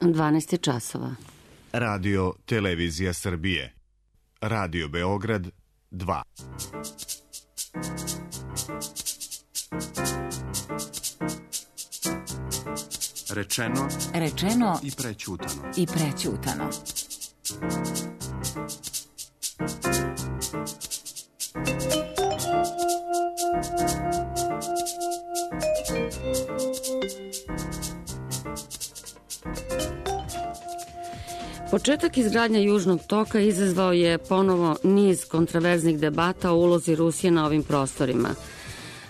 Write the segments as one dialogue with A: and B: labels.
A: 12 časova.
B: Radio Televizija Srbije. Radio Beograd 2.
C: Rečeno
D: i prećutano.
A: Početak izgradnje Južnog toka izazvao je ponovo niz kontraverznih debata o ulozi Rusije na ovim prostorima.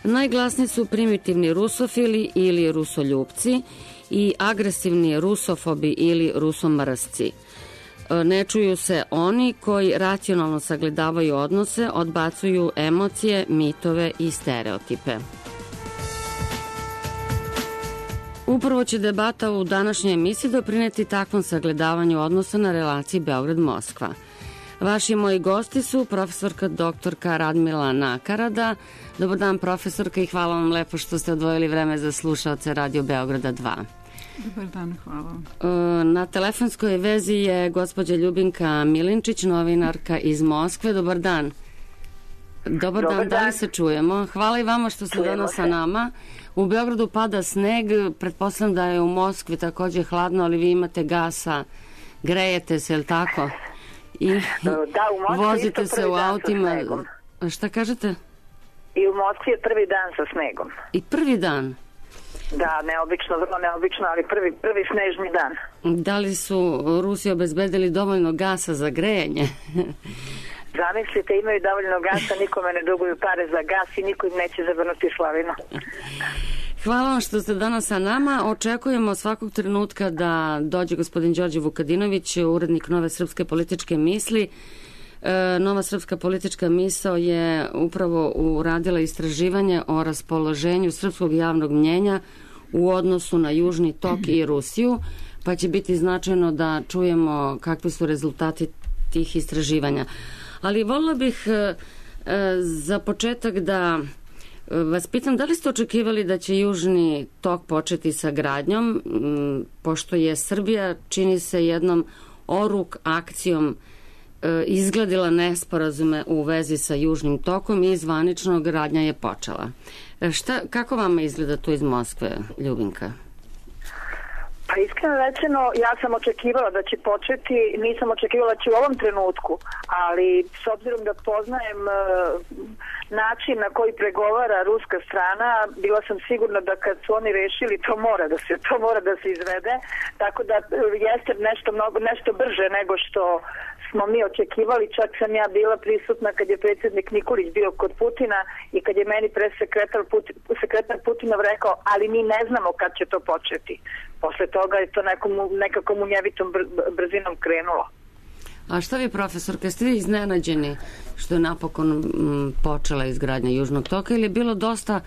A: Najglasniji su primitivni rusofili ili rusoljupci i agresivni rusofobi ili rusomrsci. Ne čuju se oni koji racionalno sagledavaju odnose, odbacuju emocije, mitove i stereotipe. Upravo će debata u današnjoj emisiji doprineti takvom sagledavanju odnosa na relaciji Beograd-Moskva. Vaši i moji gosti su profesorka doktorka Radmila Nakarada. Dobar dan, profesorka, i hvala vam lepo što ste odvojili vreme za slušaoce Radio Beograda 2.
E: Dobar dan, hvala.
A: Na telefonskoj vezi je gospođa Ljubinka Milinčić, novinarka iz Moskve. Dobar dan. Dobar dan, da li se čujemo? Hvala i vama što ste danas sa nama. U Beogradu pada sneg, pretpostavljam da je u Moskvi takođe hladno, ali vi imate gasa, grejete se, je li tako? I vozite se u autima. Šta kažete?
F: I u Moskvi je prvi dan sa snegom.
A: I prvi dan?
F: Da, neobično, vrlo neobično, ali prvi snežni dan.
A: Da li su Rusi obezbedili dovoljno gasa za grejanje?
F: Zamislite, imaju dovoljno gasa, nikome ne duguju pare za gas i niko im neće zavrnuti slavinu.
A: Hvala vam što ste danas sa nama. Očekujemo svakog trenutka da dođe gospodin Đorđe Vukadinović, urednik Nove srpske političke misli. Nova srpska politička misao je upravo uradila istraživanje o raspoloženju srpskog javnog mnjenja u odnosu na Južni tok i Rusiju, pa će biti značajno da čujemo kakvi su rezultati tih istraživanja. Ali voljela bih za početak da vas pitam, da li ste očekivali da će Južni tok početi sa gradnjom, pošto je Srbija, čini se, jednom oruk akcijom izgladila nesporazume u vezi sa Južnim tokom i zvanično gradnja je počela. Kako vama izgleda to iz Moskve, Ljubinka?
F: Pa iskreno rečeno, ja sam očekivala da će početi, nisam očekivala da će u ovom trenutku, ali s obzirom da poznajem način na koji pregovara ruska strana, bila sam sigurna da kad su oni rešili, to mora da se izvede, tako da jeste nešto brže nego što smo mi očekivali. Čak sam ja bila prisutna kad je predsjednik Nikolić bio kod Putina i kad je meni sekretar Putinov rekao, ali mi ne znamo kad će to početi. Posle toga je to nekako munjevitom brzinom krenulo.
A: A šta vi, profesorka, ste vi iznenađeni što je napokon počela izgradnja Južnog toka ili je bilo dosta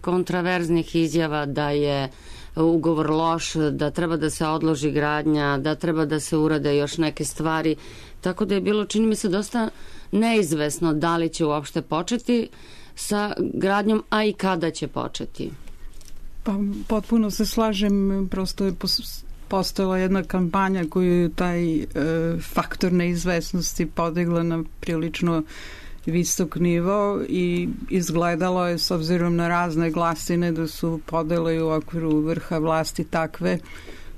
A: kontraverznih izjava da je ugovor loš, da treba da se odloži gradnja, da treba da se urade još neke stvari, tako da je bilo, čini mi se, dosta neizvesno da li će uopšte početi sa gradnjom, a i kada će početi.
E: Pa potpuno se slažem, prosto je postojala jedna kampanja koju je taj faktor neizvesnosti podigla na prilično visok nivo i izgledalo je, s obzirom na razne glasine, da su podele u okviru vrha vlasti takve,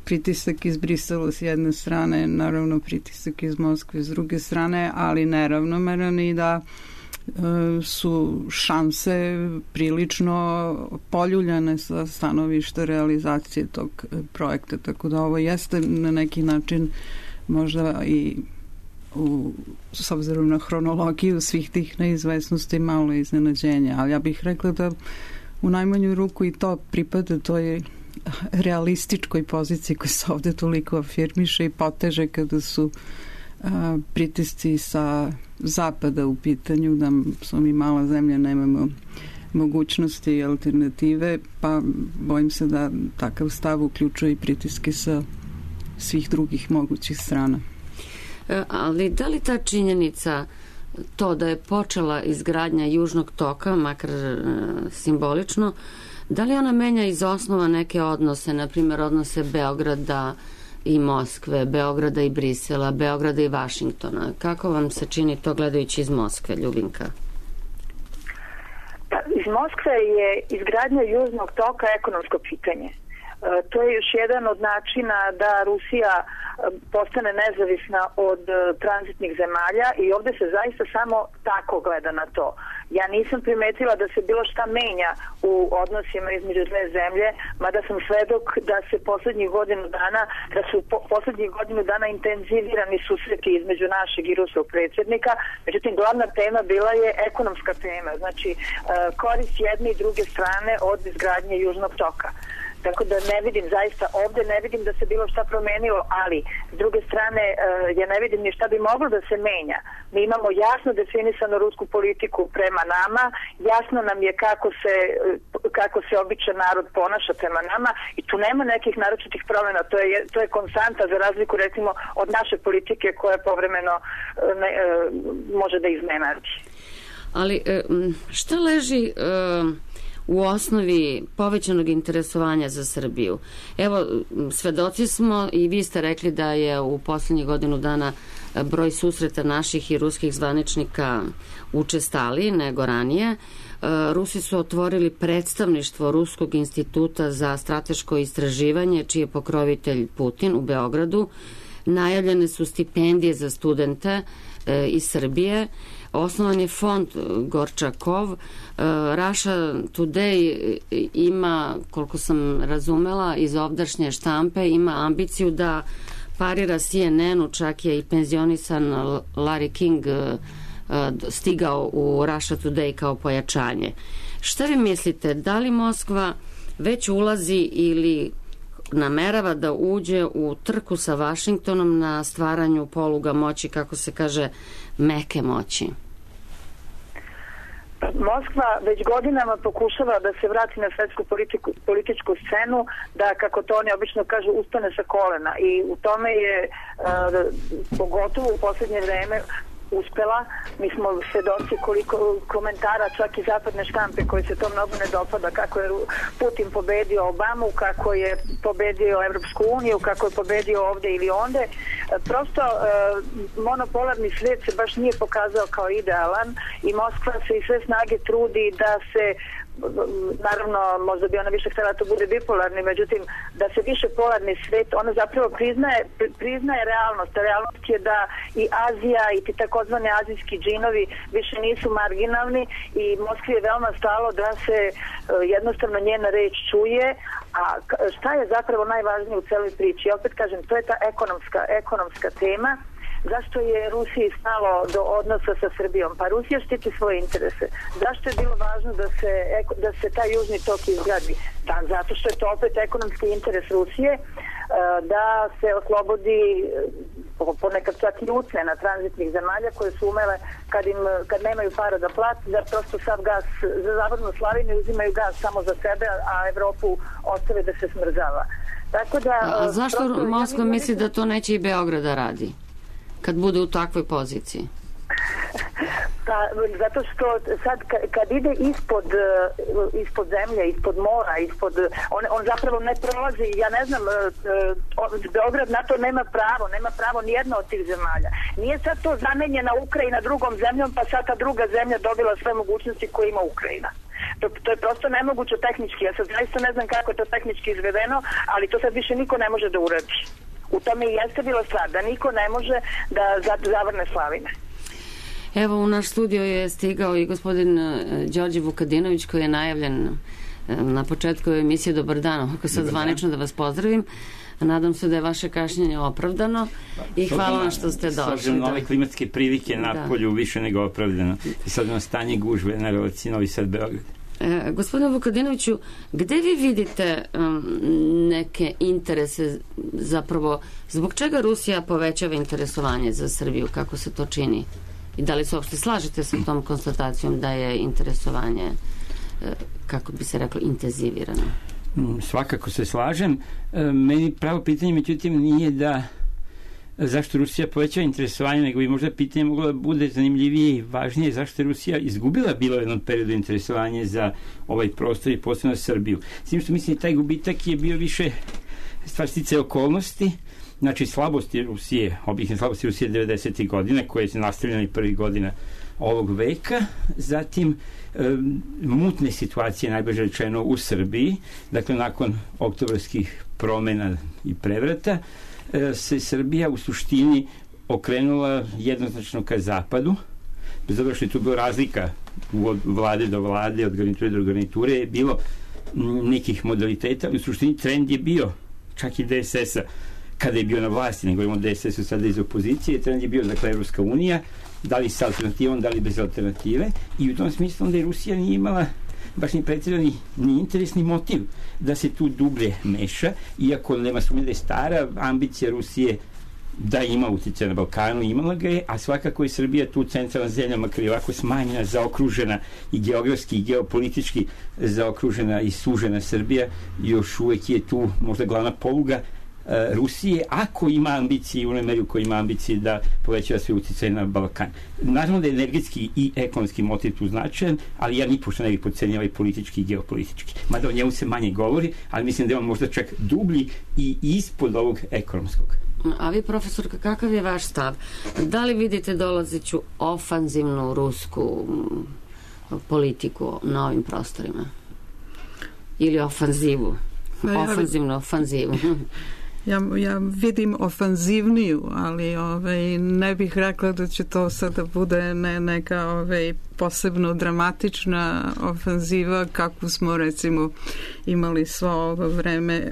E: pritisak iz Brisela s jedne strane, naravno pritisak iz Moskve s druge strane, ali neravnomeran, i da su šanse prilično poljuljane sa stanovišta realizacije tog projekta, tako da ovo jeste na neki način možda i s obzirom na hronologiju svih tih neizvesnosti malo iznenađenja, ali ja bih rekla da u najmanju ruku i to pripada toj realističkoj poziciji koja se ovde toliko afirmiše i poteže kada su pritisci sa zapada u pitanju, da smo mi mala zemlja, nemamo mogućnosti i alternative, pa bojim se da takav stav uključuje i pritiske sa svih drugih mogućih strana.
A: Ali da li ta činjenica, to da je počela izgradnja Južnog toka, makar simbolično, Da li ona menja iz osnova neke odnose, na primjer odnose Beograda i Moskve, Beograda i Brisela, Beograda i Vašingtona? Kako vam se čini to gledajući iz Moskve, Ljubinka?
F: Iz Moskve je izgradnja Južnog toka ekonomsko pitanje. To je još jedan od načina da Rusija postane nezavisna od tranzitnih zemalja i ovdje se zaista samo tako gleda na to. Ja nisam primetila da se bilo šta menja u odnosima između dve zemlje, mada sam svedok da se poslednjih godinu dana intenzivirani susreti između našeg i ruskog predsjednika. Međutim, glavna tema bila je ekonomska tema, znači korist jedne i druge strane od izgradnje Južnog toka. Tako da ne vidim, zaista ovdje ne vidim da se bilo šta promenilo, ali s druge strane ja ne vidim ni šta bi moglo da se menja. Mi imamo jasno definisanu rusku politiku prema nama, jasno nam je kako se običan narod ponaša prema nama i tu nema nekih naročitih promjena, to je konstanta za razliku recimo od naše politike koja povremeno može da iznenadi.
A: Ali šta leži u osnovi povećanog interesovanja za Srbiju? Evo, svedoci smo i vi ste rekli da je u posljednjih godinu dana broj susreta naših i ruskih zvaničnika učestaliji nego ranije. Rusi su otvorili predstavništvo Ruskog instituta za strateško istraživanje, čiji je pokrovitelj Putin u Beogradu. Najavljene su stipendije za studente iz Srbije. Osnovan je fond Gorčakov. Russia Today ima, koliko sam razumela iz ovdašnje štampe, ima ambiciju da parira CNN-u, čak je i penzionisan Larry King stigao u Russia Today kao pojačanje. Šta vi mislite, da li Moskva već ulazi ili namerava da uđe u trku sa Vašingtonom na stvaranju poluga moći, kako se kaže, meke moći?
F: Moskva već godinama pokušava da se vrati na svetsku političku scenu, da, kako to oni obično kažu, ustane sa kolena i u tome je pogotovo u posljednje vreme uspela. Mi smo svedoci koliko komentara čak i zapadne štampe koje se to mnogo ne dopada, kako je Putin pobedio Obamu, kako je pobedio Evropsku uniju, kako je pobedio ovdje ili onde. Prosto monopolarni svijet se baš nije pokazao kao idealan i Moskva se i sve snage trudi da se, naravno možda bi ona više htjela da to bude bipolarni, međutim da se više polarni svijet, ona zapravo priznaje realnost. Realnost je da i Azija i ti takozvani azijski džinovi više nisu marginalni i Moskvi je veoma stalo da se jednostavno njena reč čuje. A šta je zapravo najvažnije u celoj priči? Opet kažem, to je ta ekonomska tema. Zašto je Rusiji stalo do odnosa sa Srbijom? Pa Rusija štiti svoje interese. Zašto je bilo važno da se taj južni tok izgradi? Zato što je to opet ekonomski interes Rusije, da se oslobodi ponekad čak i ucena tranzitnih zemalja koje su umele kad nemaju para da plati, da prosto sav gas za zapadnu Slavinu uzimaju gas samo za sebe, a Evropu ostave da se smrzava. Tako da,
A: a zašto Moskva misli da to neće i Beograd da radi kad bude u takvoj poziciji?
F: Pa, zato što sad kad ide ispod zemlje, ispod mora, on zapravo ne prolazi, ja ne znam, Beograd na to nema pravo nijedna od tih zemalja. Nije sad to zamenjena Ukrajina drugom zemljom, pa sad ta druga zemlja dobila sve mogućnosti koje ima Ukrajina. To je prosto nemoguće tehnički. Ja sad zaista ne znam kako je to tehnički izvedeno, ali to sad više niko ne može da uradi. U tome i jeste bila stvar, da niko ne može da zavrne slavine.
A: Evo, u naš studio je stigao i gospodin Đorđe Vukadinović, koji je najavljen na početku emisije. Dobar dan, ako sad zvanično da vas pozdravim. Nadam se da je vaše kašnjenje opravdano i hvala vam što ste došli. S obzirom
C: na ove klimatske prilike na polju više nego opravdano. I sad na stanje gužve na relaciji Novi Sad-Beograd.
A: Gospodine Vukadinoviću, gde vi vidite neke interese, zapravo zbog čega Rusija povećava interesovanje za Srbiju, kako se to čini? I da li se uopšte slažete sa tom konstatacijom da je interesovanje, kako bi se reklo, intenzivirano?
C: Svakako se slažem. Meni pravo pitanje, međutim, nije da zašto Rusija povećava interesovanje, nego bi možda pitanje moglo da bude zanimljivije i važnije zašto je Rusija izgubila bilo u jednom periodu interesovanje za ovaj prostor i posebno Srbiju. S tim što mislim taj gubitak je bio više stvar sticaja okolnosti, znači slabosti Rusije, objektivne slabosti Rusije 90. godina koje se nastavljaju i prvih godina ovog veka, zatim mutne situacije, najbliže rečeno, u Srbiji, dakle nakon oktobarskih promena i prevrata, se Srbija u suštini okrenula jednoznačno ka zapadu, bez obzira što je tu bila razlika od vlade do vlade, od garniture do garniture, je bilo nekih modaliteta, ali u suštini trend je bio, čak i DSS-a, kada je bio na vlasti, ne govorimo o DSS-u sada iz opozicije, trend je bio, dakle, Evropska unija, da li sa alternativom, da li bez alternative, i u tom smislu onda je Rusija nije imala baš ni pretjerani ni interesni motiv da se tu dublje meša, iako nema sumnje da je stara ambicija Rusije da ima utjecaj na Balkanu, imala ga je, a svakako je Srbija tu centralna zemlja, makar je ovako smanjena, zaokružena i geografski i geopolitički zaokružena i sužena Srbija, još uvek je tu možda glavna poluga Rusije, ako ima ambicije, u onoj meri u kojoj ima ambicije da povećava sve utjecaj na Balkan. Naravno da je energetski i ekonomski motiv tu značajan, ali ja nipošto ne bih podcenjava i politički i geopolitički. Mada o njemu se manje govori, ali mislim da je on možda čak dublji i ispod ovog ekonomskog.
A: A vi, profesorka, kakav je vaš stav? Da li vidite dolazeću ofanzivnu rusku politiku na ovim prostorima? Ili ofanzivu? Ofanzivu.
E: Ja vidim ofanzivniju, ali ne bih rekla da će to sada bude neka posebno dramatična ofanziva kakvu smo recimo imali svo ovo vreme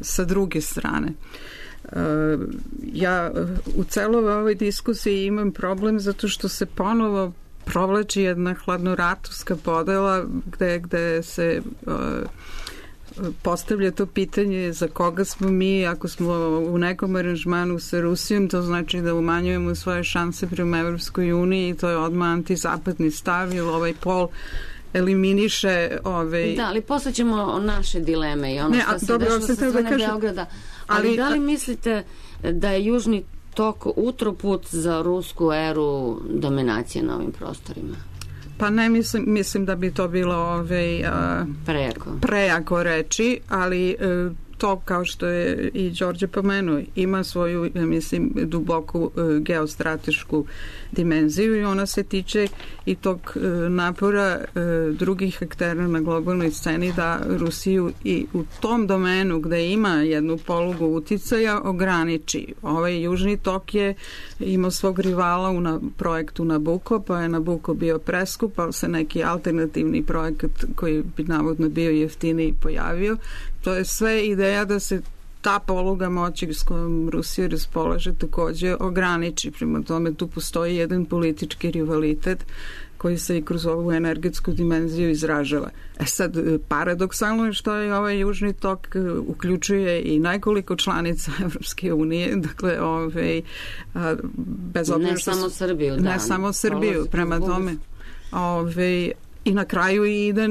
E: sa druge strane. Ja u celoj ovoj diskusiji imam problem zato što se ponovo provlači jedna hladnoratovska podela gde se postavlja to pitanje za koga smo mi, ako smo u nekom aranžmanu sa Rusijom, to znači da umanjujemo svoje šanse prema Evropskoj uniji i to je odmah antizapadni stav, jer ovaj pol eliminiše
A: Da, ali posle ćemo naše dileme i ono što se dešava sa strane Beograda. Ali da li mislite da je Južni tok utroput za rusku eru dominacije na ovim prostorima?
E: Pa ne mislim da bi to bilo prejako reći, ali to, kao što je i Đorđe pomenuo, ima svoju, mislim, duboku geostratešku dimenziju i ona se tiče i tog napora drugih aktera na globalnoj sceni da Rusiju i u tom domenu gde ima jednu polugu uticaja ograniči. Ovaj Južni tok je imao svog rivala u projektu Nabucco, pa je Nabucco bio preskup, pa se neki alternativni projekat koji bi navodno bio jeftiniji pojavio. To je sve ideja da se ta poluga moći s kojom Rusija raspolaže takođe ograniči. Prema tome tu postoji jedan politički rivalitet koji se i kroz ovu energetsku dimenziju izražava. Sad, paradoksalno je što je ovaj Južni tok uključuje i nekoliko članica Evropske unije, dakle, bez obzira što...
A: Ne samo Srbiju, da.
E: Ne samo Srbiju, prema tome. I na kraju ide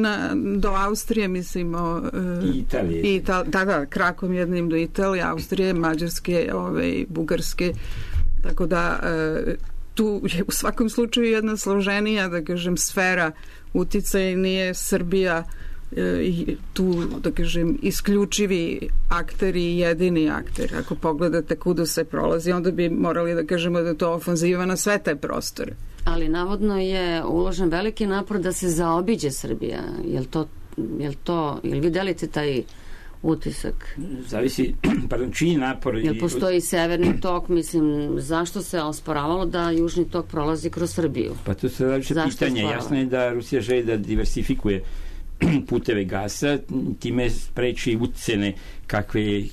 E: do Austrije, mislim,
C: i Italije.
E: Da, krakom jednim do Italije, Austrije, Mađarske, Bugarske, tako da tu je u svakom slučaju jedna složenija, da kažem, sfera uticaja, nije Srbija tu, da kažem, isključivi akter i jedini akter. Ako pogledate kuda se prolazi, onda bi morali da kažemo da je to ofanziva na sve te prostore.
A: Ali navodno je uložen veliki napor da se zaobiđe Srbija. Jel vi delite taj utisak?
C: Zavisi, čiji napor...
A: Jel postoji severni tok, mislim, zašto se osporavalo da Južni tok prolazi kroz Srbiju?
C: Pa to se različe pitanje. Jasno je da Rusija želi da diversifikuje puteve gasa, time spreči ucene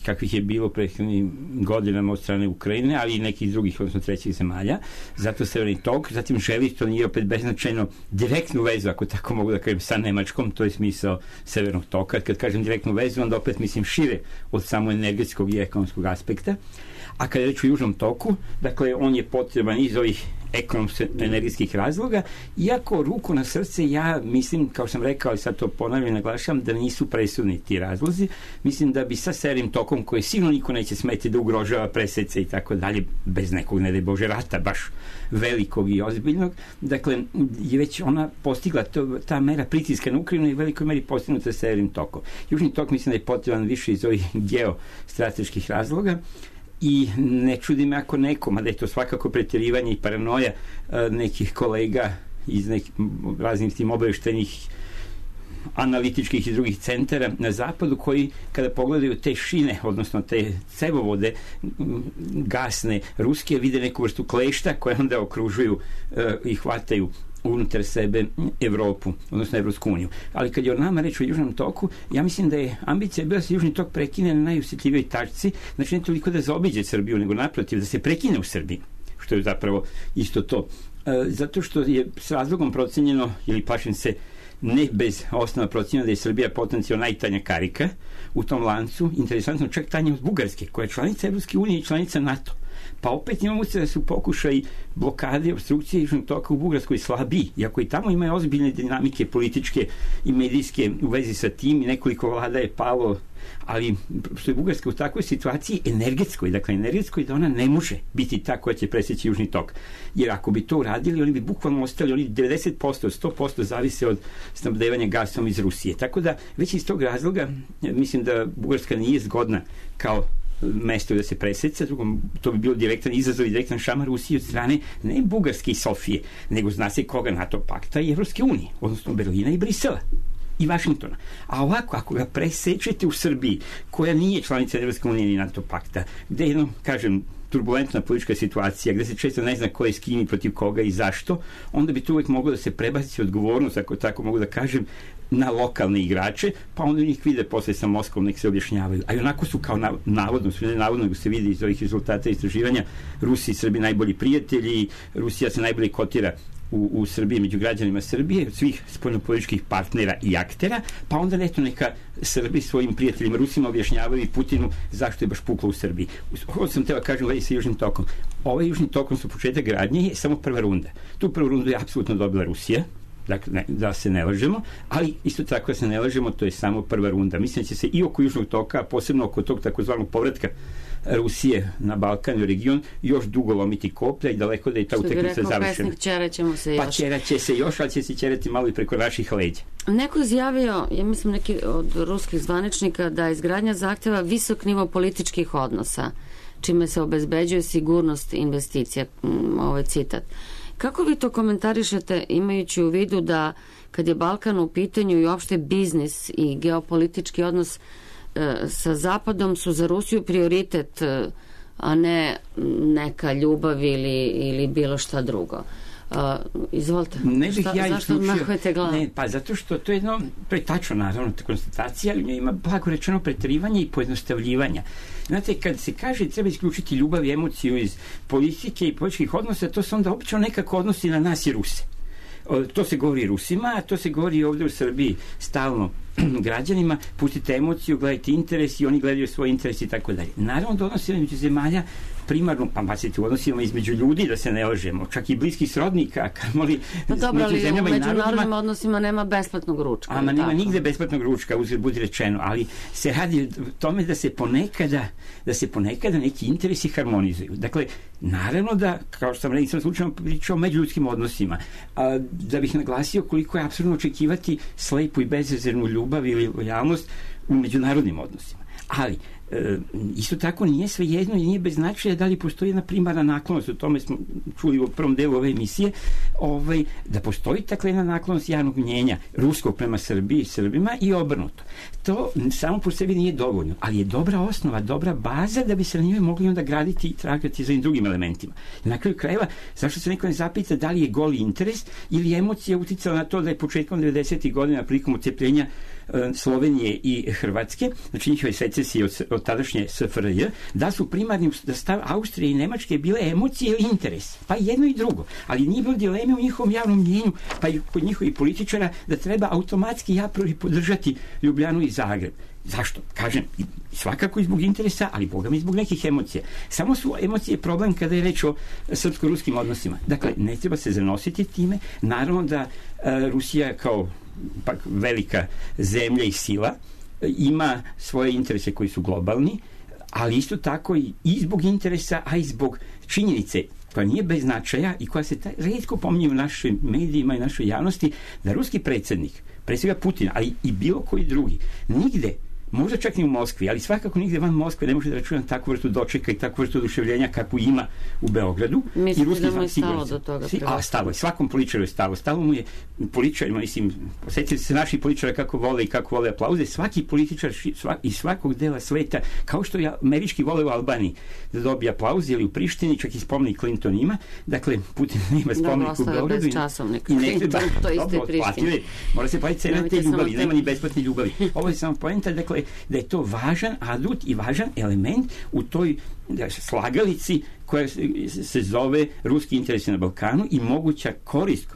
C: kakvih je bilo prethodnim godinama od strane Ukrajine, ali i nekih drugih, odnosno trećih zemalja. Zato severni tok, zatim želi, to nije opet beznačajno, direktnu vezu, ako tako mogu da kažem, sa Nemačkom, to je smisao severnog toka. Kad kažem direktnu vezu, onda opet mislim šire od samo energetskog i ekonomskog aspekta. A kada je reč o Južnom toku, dakle, on je potreban iz ovih ekonomsko-energetskih razloga, iako ruku na srce ja mislim, kao sam rekao, ali sad to ponavljam i naglašavam, da nisu presudni ti razlozi. Mislim da bi sa Severnim tokom, koji sigurno niko neće smeti da ugrožava presece i tako dalje, bez nekog, ne daj Bože, rata, baš velikog i ozbiljnog, dakle, je već ona postigla ta mera pritiska na Ukrajinu i velikoj meri postignuta sa Severnim tokom. Južni tok mislim da je potreban više iz ovih geostrateških razloga i ne čudi me ako nekom, a da je to svakako pretjerivanje i paranoja nekih kolega iz raznih tim obaveštenih analitičkih i drugih centara na zapadu, koji kada pogledaju te šine, odnosno te cevovode gasne ruske, vide neku vrstu klešta koje onda okružuju i hvataju unutar sebe Evropu, odnosno Evropsku uniju. Ali kad je o nama reč o Južnom toku, ja mislim da je ambicija bila da se Južni tok prekine na najosjetljivijoj tačci, znači ne toliko da zaobiđe Srbiju, nego naprotiv da se prekine u Srbiji, što je zapravo isto to. Zato što je s razlogom procenjeno, ili plašim se ne bez osnova procenjeno, da je Srbija potencijalno najtanja karika u tom lancu, interesantno čak tanja od Bugarske, koja je članica Evropske unije i članica NATO. Pa opet imamo se da su pokušaj blokade, obstrukcije Južnog toka u Bugarskoj slabiji, iako i tamo imaju ozbiljne dinamike političke i medijske u vezi sa tim i nekoliko vlada je palo, ali što je Bugarska u takvoj situaciji energetskoj, dakle energetskoj, da ona ne može biti ta koja će presjeći Južni tok. Jer ako bi to uradili, oni bi bukvalno ostali, oni 90%, 100% zavise od snabdevanja gasom iz Rusije. Tako da već iz tog razloga mislim da Bugarska nije zgodna kao mesto da se preseca, drugom, to bi bilo direktan izazov i direktan šamar Rusije od strane ne Bugarske i Sofije, nego zna se koga, NATO pakta i Evropske unije, odnosno Berlina i Brisela i Vašingtona. A ovako, ako ga presečete u Srbiji, koja nije članica Evropske unije ni NATO pakta, gde je, kažem, turbulentna politička situacija, gde se često ne zna ko je s kim i protiv koga i zašto, onda bi tu uvek moglo da se prebaci odgovornost, ako tako mogu da kažem, na lokalne igrače, pa onda njih vide posle sa Moskvom, nek se objašnjavaju. A i onako su kao navodno, sve navodno, nego se vidi iz ovih rezultata istraživanja, Rusi i Srbi najbolji prijatelji, Rusija se najbolje kotira u Srbiji, među građanima Srbije, od svih spoljnopolitičkih partnera i aktera, pa onda neto neka Srbi svojim prijateljima Rusima objašnjavaju i Putinu zašto je baš puklo u Srbiji. Ovo sam teo kažem vezi sa Južnim tokom. Ovaj Južni tokom su početak gradnje je samo prva runda. Tu prvu rundu je apsolutno dobila Rusija, dakle, da se ne lažemo, ali isto tako da se ne lažemo, to je samo prva runda. Mislim da će se i oko Južnog toka, posebno oko tog takozvanog povratka Rusije na Balkan i region, još dugo lomiti koplja i daleko da je ta utakmica završena. Pa ćeraće se još, ali će se ćerati malo i preko naših leđa.
A: Neko izjavio, ja mislim neki od ruskih zvaničnika, da izgradnja zahteva visok nivo političkih odnosa, čime se obezbeđuje sigurnost investicija. Ovo je citat. Kako vi to komentarišete, imajući u vidu da kad je Balkan u pitanju i uopšte biznis i geopolitički odnos sa Zapadom su za Rusiju prioritet, a ne neka ljubav ili bilo šta drugo? Izvolite. Zašto odmahujete glavu?
C: Ne, pa zato što to je jedno, to je tačno naravno ta konstatacija, ali ima blago rečeno preterivanje i pojednostavljivanja. Znate, kad se kaže treba isključiti ljubav i emociju iz politike i političkih odnosa, to se onda obično nekako odnosi na nas i Ruse. To se govori Rusima, a to se govori ovdje u Srbiji stalno građanima, pustite emociju, gledajte interes i oni gledaju svoj interes i tako dalje. Naravno da odnosimo među zemalja primarno, pa bacite u odnosima između ljudi, da se ne lažemo, čak i bliskih srodnika, kamoli
A: među zemljama i narodima. U međunarodnim odnosima nema besplatnog ručka.
C: Ama nema nigde besplatnog ručka, uzgled budi rečeno, ali se radi o tome da se ponekada neki interesi harmonizuju. Dakle, naravno da, kao što sam rekao, slučajno pričao o međuljudskim odnosima, da bih naglasio koliko je apsurdno očekivati slepu i bezrezervnu ljubav ili lojalnost u međunarodnim odnosima. Ali, isto tako nije sve jedno i nije bez značaja da li postoji jedna primarna naklonost, o tome smo čuli u prvom delu ove emisije, da postoji takva jedna naklonost javnog mnjenja ruskog prema Srbiji i Srbima i obrnuto. To samo po sebi nije dovoljno, ali je dobra osnova, dobra baza da bi se na njoj mogli onda graditi i tragati za drugim elementima. I na kraju krajeva, zašto se neko ne zapita da li je goli interes ili emocija uticala na to da je početkom 90. godina prilikom odcepljenja Slovenije i Hrvatske, znači njihove secesije od tadašnje SFRJ, da su primarni da stav Austrije i Nemačke bile emocije ili interes, pa jedno i drugo, ali nije bilo dileme u njihovom javnom mnjenju, pa i kod njihovih političara da treba automatski a priori podržati Ljubljanu i Zagreb. Zašto? Kažem, svakako i zbog interesa, ali boga mi zbog nekih emocija. Samo su emocije problem kada je reč o srpsko-ruskim odnosima. Dakle, ne treba se zanositi time. Naravno da Rusija kao pak velika zemlja i sila ima svoje interese koji su globalni, ali isto tako i zbog interesa, a i zbog činjenice koja nije bez značaja i koja se retko pominje u našim medijima i našoj javnosti, da ruski predsjednik, pre svega Putin, ali i bilo koji drugi, nigde, možda čak ni u Moskvi, ali svakako nigde van Moskve ne može da računa takvu vrstu dočeka i takvu vrstu oduševljenja kakvu ima u Beogradu.
A: Mislim da mu je stalo do toga.
C: Stalo je, svakom političaru je stalo. Stalo mu je političarima, mislim, posjetili se naši političara kako vole aplauze. Svaki političar iz svakog dela sveta, kao što je američki vole u Albaniji da dobije aplauze, ili u Prištini, čak i spomenik Clinton ima. Dakle, Putin nema spomenik u Beogradu.
A: I nekde to isto je Prištini.
C: Mora se platiti cena te ljubavi, nema ni besplatne ljubavi. Ovo je samo poenta, dakle, da je to važan adut i važan element u toj slagalici koja se zove ruski interesi na Balkanu i moguća korist.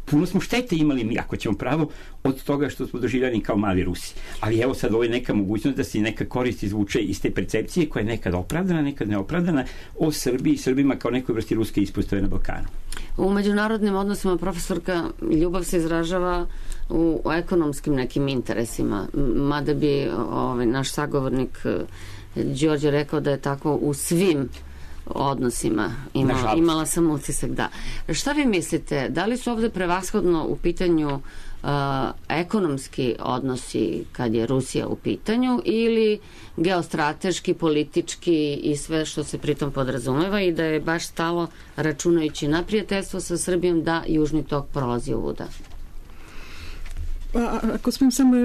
C: Puno smo štete imali mi, ako ćemo pravo, od toga što smo doživljeni kao mali Rusi. Ali evo sad ovo je neka mogućnost da se neka korist izvuče iz te percepcije koja je nekad opravdana, nekad neopravdana o Srbiji i Srbima kao nekoj vrsti ruske ispostave na Balkanu.
A: U međunarodnim odnosima, profesorka, ljubav se izražava u ekonomskim nekim interesima, mada bi naš sagovornik Đorđe rekao da je tako u svim odnosima. Imala sam utisak, da. Šta vi mislite, da li su ovde prevashodno u pitanju ekonomski odnosi kad je Rusija u pitanju ili geostrateški, politički i sve što se pritom podrazumeva i da je baš stalo, računajući na prijateljstvo sa Srbijom, da Južni tok prolazi ovuda?
E: Ako smijem samo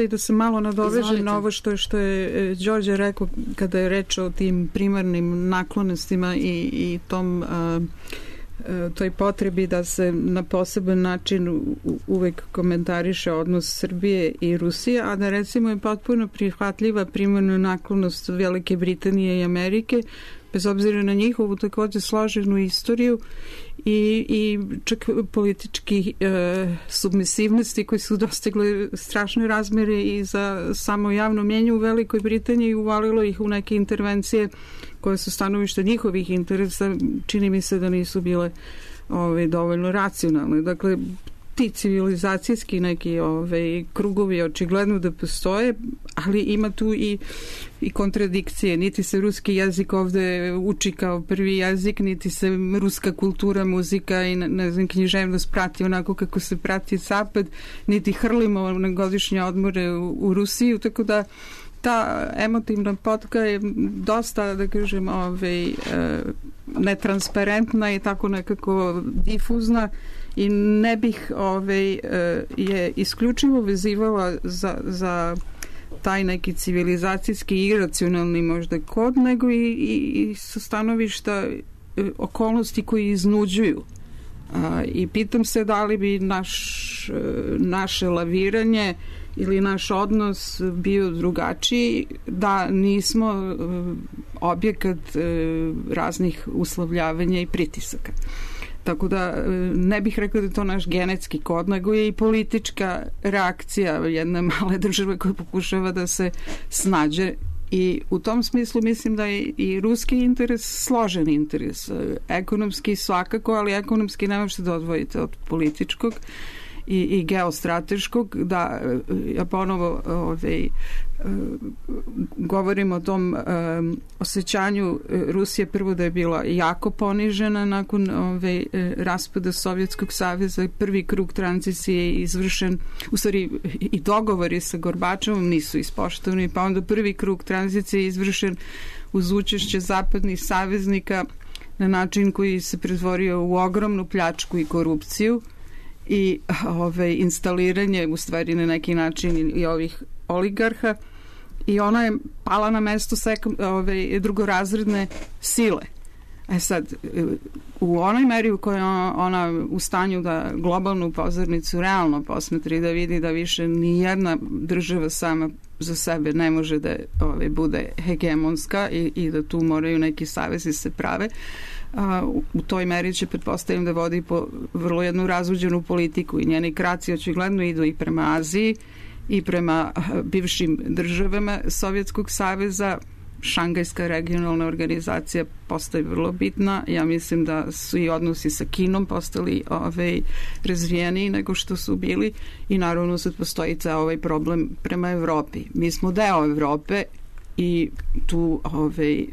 E: da se malo nadovežem na ovo što je Đorđe rekao kada je reč o tim primarnim naklonostima i toj potrebi da se na poseban način uvek komentariše odnos Srbije i Rusije, a da recimo je potpuno prihvatljiva primarna naklonost Velike Britanije i Amerike, bez obzira na njihovu takođe složenu istoriju i čak politički submisivnosti koji su dostigli strašne razmere i za samo javno mjenje u Velikoj Britaniji i uvalilo ih u neke intervencije koje su stanovišta njihovih interesa, čini mi se da nisu bile dovoljno racionalne. Dakle, ti civilizacijski neki krugovi očigledno da postoje, ali ima tu i kontradikcije. Niti se ruski jezik ovde uči kao prvi jezik, niti se ruska kultura, muzika i književnost prati onako kako se prati zapad, niti hrlimo na godišnje odmore u Rusiju, tako da ta emotivna potka je dosta, da kažem, netransparentna i tako nekako difuzna i ne bih je isključivo vezivala za taj neki civilizacijski i iracionalni možda kod, nego i sa stanovišta okolnosti koji iznuđuju. I pitam se da li bi naše laviranje ili naš odnos bio drugačiji da nismo objekat raznih uslovljavanja i pritisaka. Tako da ne bih rekao da je to naš genetski kod, nego je i politička reakcija jedne male države koja pokušava da se snađe. I u tom smislu mislim da je i ruski interes složen interes. Ekonomski svakako, ali ekonomski ne možete da odvojite od političkog i geostrateškog, da ja ponovo govorim o tom osjećanju Rusije, prvo da je bila jako ponižena nakon raspada Sovjetskog saveza, prvi krug tranzicije je izvršen, u stvari i dogovori sa Gorbačevom nisu ispoštovani, pa onda prvi krug tranzicije je izvršen uz učešće zapadnih saveznika na način koji se pretvorio u ogromnu pljačku i korupciju i instaliranje u stvari na neki način i ovih oligarha, i ona je pala na mesto drugorazredne sile. Sad, u onoj meri u kojoj ona u stanju da globalnu pozornicu realno posmetri, da vidi da više ni jedna država sama za sebe ne može da bude hegemonska i da tu moraju neki savezi se prave, u toj meri će, pretpostavljam, da vodi po vrlo jednu razuđenu politiku i njeni kraci očigledno idu i prema Aziji i prema bivšim državama Sovjetskog saveza. Šangajska regionalna organizacija postaje vrlo bitna. Ja mislim da su i odnosi sa Kinom postali razvijeniji nego što su bili i naravno sad postoji ceo ovaj problem prema Evropi. Mi smo deo Evrope i tu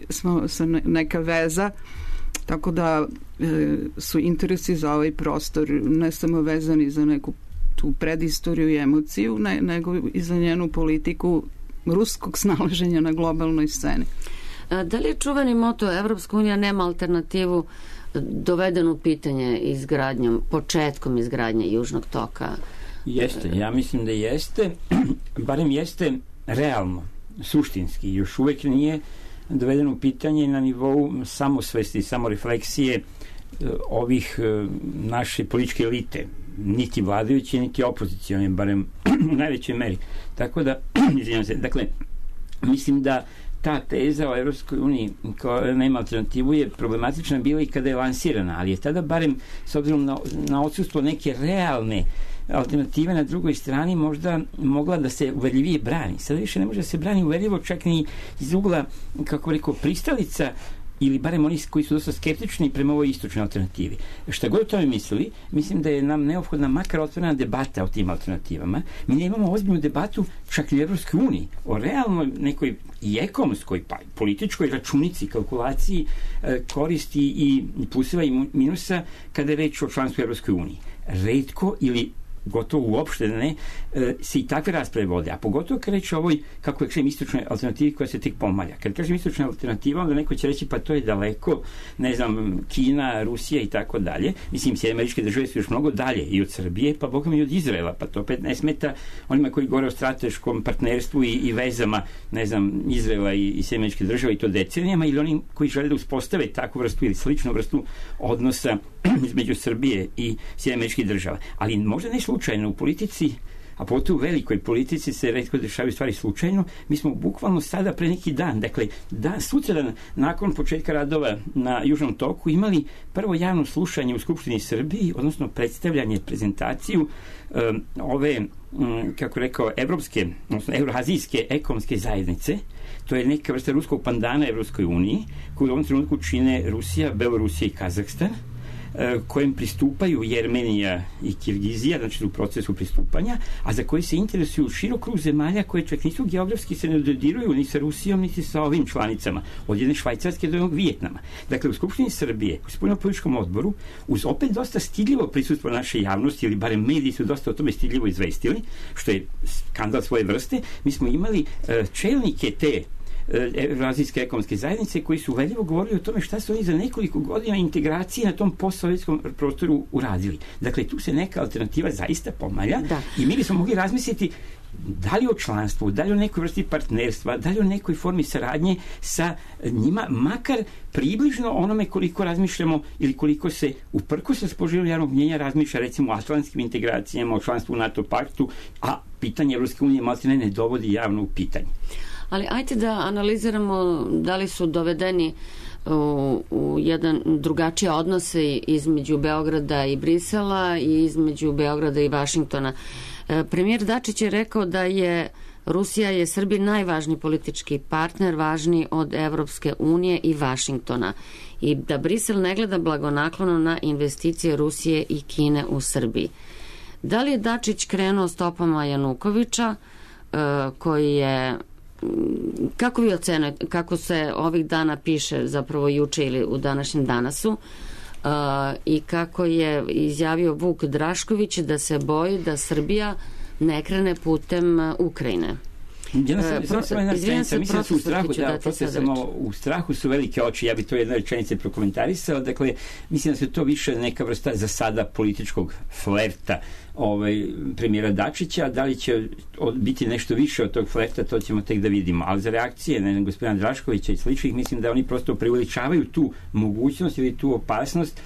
E: smo sa neka veza, tako da su interesi za ovaj prostor ne samo vezani za neku tu predistoriju i emociju, nego i za njenu politiku ruskog snalaženja na globalnoj sceni.
A: Da li je čuveni moto Evropska unija nema alternativu doveden u pitanje izgradnjom, početkom izgradnje Južnog toka?
C: Jeste, ja mislim da jeste, barem jeste realno, suštinski, još uvek nije doveden u pitanje na nivou samosvesti, samorefleksije ovih naše političke elite, niti vladajuće, niti opozicione, barem u najvećoj meri. Tako da, izvinjam se, dakle, mislim da ta teza o Evropskoj uniji koja nema alternativu je problematična bila i kada je lansirana, ali je tada barem s obzirom na odsustvo neke realne alternative na drugoj strani možda mogla da se uverljivije brani. Sada više ne može da se brani uverljivo čak ni iz ugla, kako rekao, pristalica ili barem oni koji su dosta skeptični prema ovoj istočnoj alternativi. Šta god o tome mislili, mislim da je nam neophodna makar otvorena debata o tim alternativama. Mi ne imamo ozbiljnu debatu čak i u Evropskoj uniji o realnoj nekoj i ekonomskoj, pa političkoj računici, kalkulaciji koristi i pluseva i minusa kada je reč o članstvu u Evropskoj uniji. Retko ili gotovo uopšte ne, se i takve rasprave vode, a pogotovo kad reći o ovoj, kako kažem, istočnoj alternativi koja se tek pomalja. Kad kažem istočna alternativa, onda neko će reći pa to je daleko, ne znam, Kina, Rusija i tako dalje. Mislim, Sjedinjene Američke Države su još mnogo dalje i od Srbije, pa bogom i od Izraela, pa to opet ne smeta onima koji govore o strateškom partnerstvu i vezama, ne znam, Izraela i Sjedinjene Američke Države i to decenijama, ili oni koji žele da uspostave takvu vrstu ili sličnu vrstu odnosa između Srbije i Sjedinjenih Američkih Država. Ali možda ne slučajno u politici, a pogotovo u velikoj politici se retko dešavaju stvari slučajno. Mi smo bukvalno sada pre neki dan, dakle sutradan nakon početka radova na Južnom toku imali prvo javno slušanje u Skupštini Srbiji, odnosno predstavljanje, prezentaciju ove, kako rekao, evropske, odnosno evroazijske ekonomske zajednice. To je neka vrsta ruskog pandana Evropskoj uniji, koju u ovom trenutku čine Rusija, Belorusija i Kazahstan, kojem pristupaju Jermenija i Kirgizija, znači u procesu pristupanja, a za koji se interesuju širok krug zemalja koje čak nisu geografski, se ne dodiruju ni sa Rusijom, niti sa ovim članicama, od jedne Švajcarske do jednog Vijetnama. Dakle, u Skupštini Srbije, u spoljnopolitičkom odboru, uz opet dosta stidljivo prisustvo naše javnosti, ili barem mediji su dosta o tome stidljivo izvestili, što je skandal svoje vrste, mi smo imali čelnike te Evroazijske ekonomske zajednice koji su uverljivo govorili o tome šta su oni za nekoliko godina integracije na tom postsovjetskom prostoru uradili. Dakle, tu se neka alternativa zaista pomalja i mi bismo mogli razmisliti da li o članstvu, da li o nekoj vrsti partnerstva, da li o nekoj formi saradnje sa njima, makar približno onome koliko razmišljamo ili koliko se uprkos raspoloženju javnog mnjenja razmišlja recimo o atlantskim integracijama, o članstvu u NATO paktu, a pitanje Evropske unije maltene ne dovodi javno u pitanje.
A: Ali ajte da analiziramo da li su dovedeni u jedan drugačije odnose između Beograda i Brisela i između Beograda i Vašingtona. Premijer Dačić je rekao da je Rusija je Srbiji najvažniji politički partner, važniji od Evropske unije i Vašingtona, i da Brisel ne gleda blagonaklono na investicije Rusije i Kine u Srbiji. Da li je Dačić krenuo stopama Janukovića, koji je, kako vi ocenujete, kako se ovih dana piše, zapravo juče ili u današnjem Danasu, i kako je izjavio Vuk Drašković da se boji da Srbija ne krene putem Ukrajine?
C: Izvijem se, u strahu su velike oči, ja bi to jedna rečenica prokomentarisao. Dakle, mislim da se to više neka vrsta za sada političkog flerta premijera Dačića. Da li će biti nešto više od tog flerta, to ćemo tek da vidimo. Ali za reakcije gospodina Draškovića i sličnih, mislim da oni prosto preuveličavaju tu mogućnost ili tu opasnost,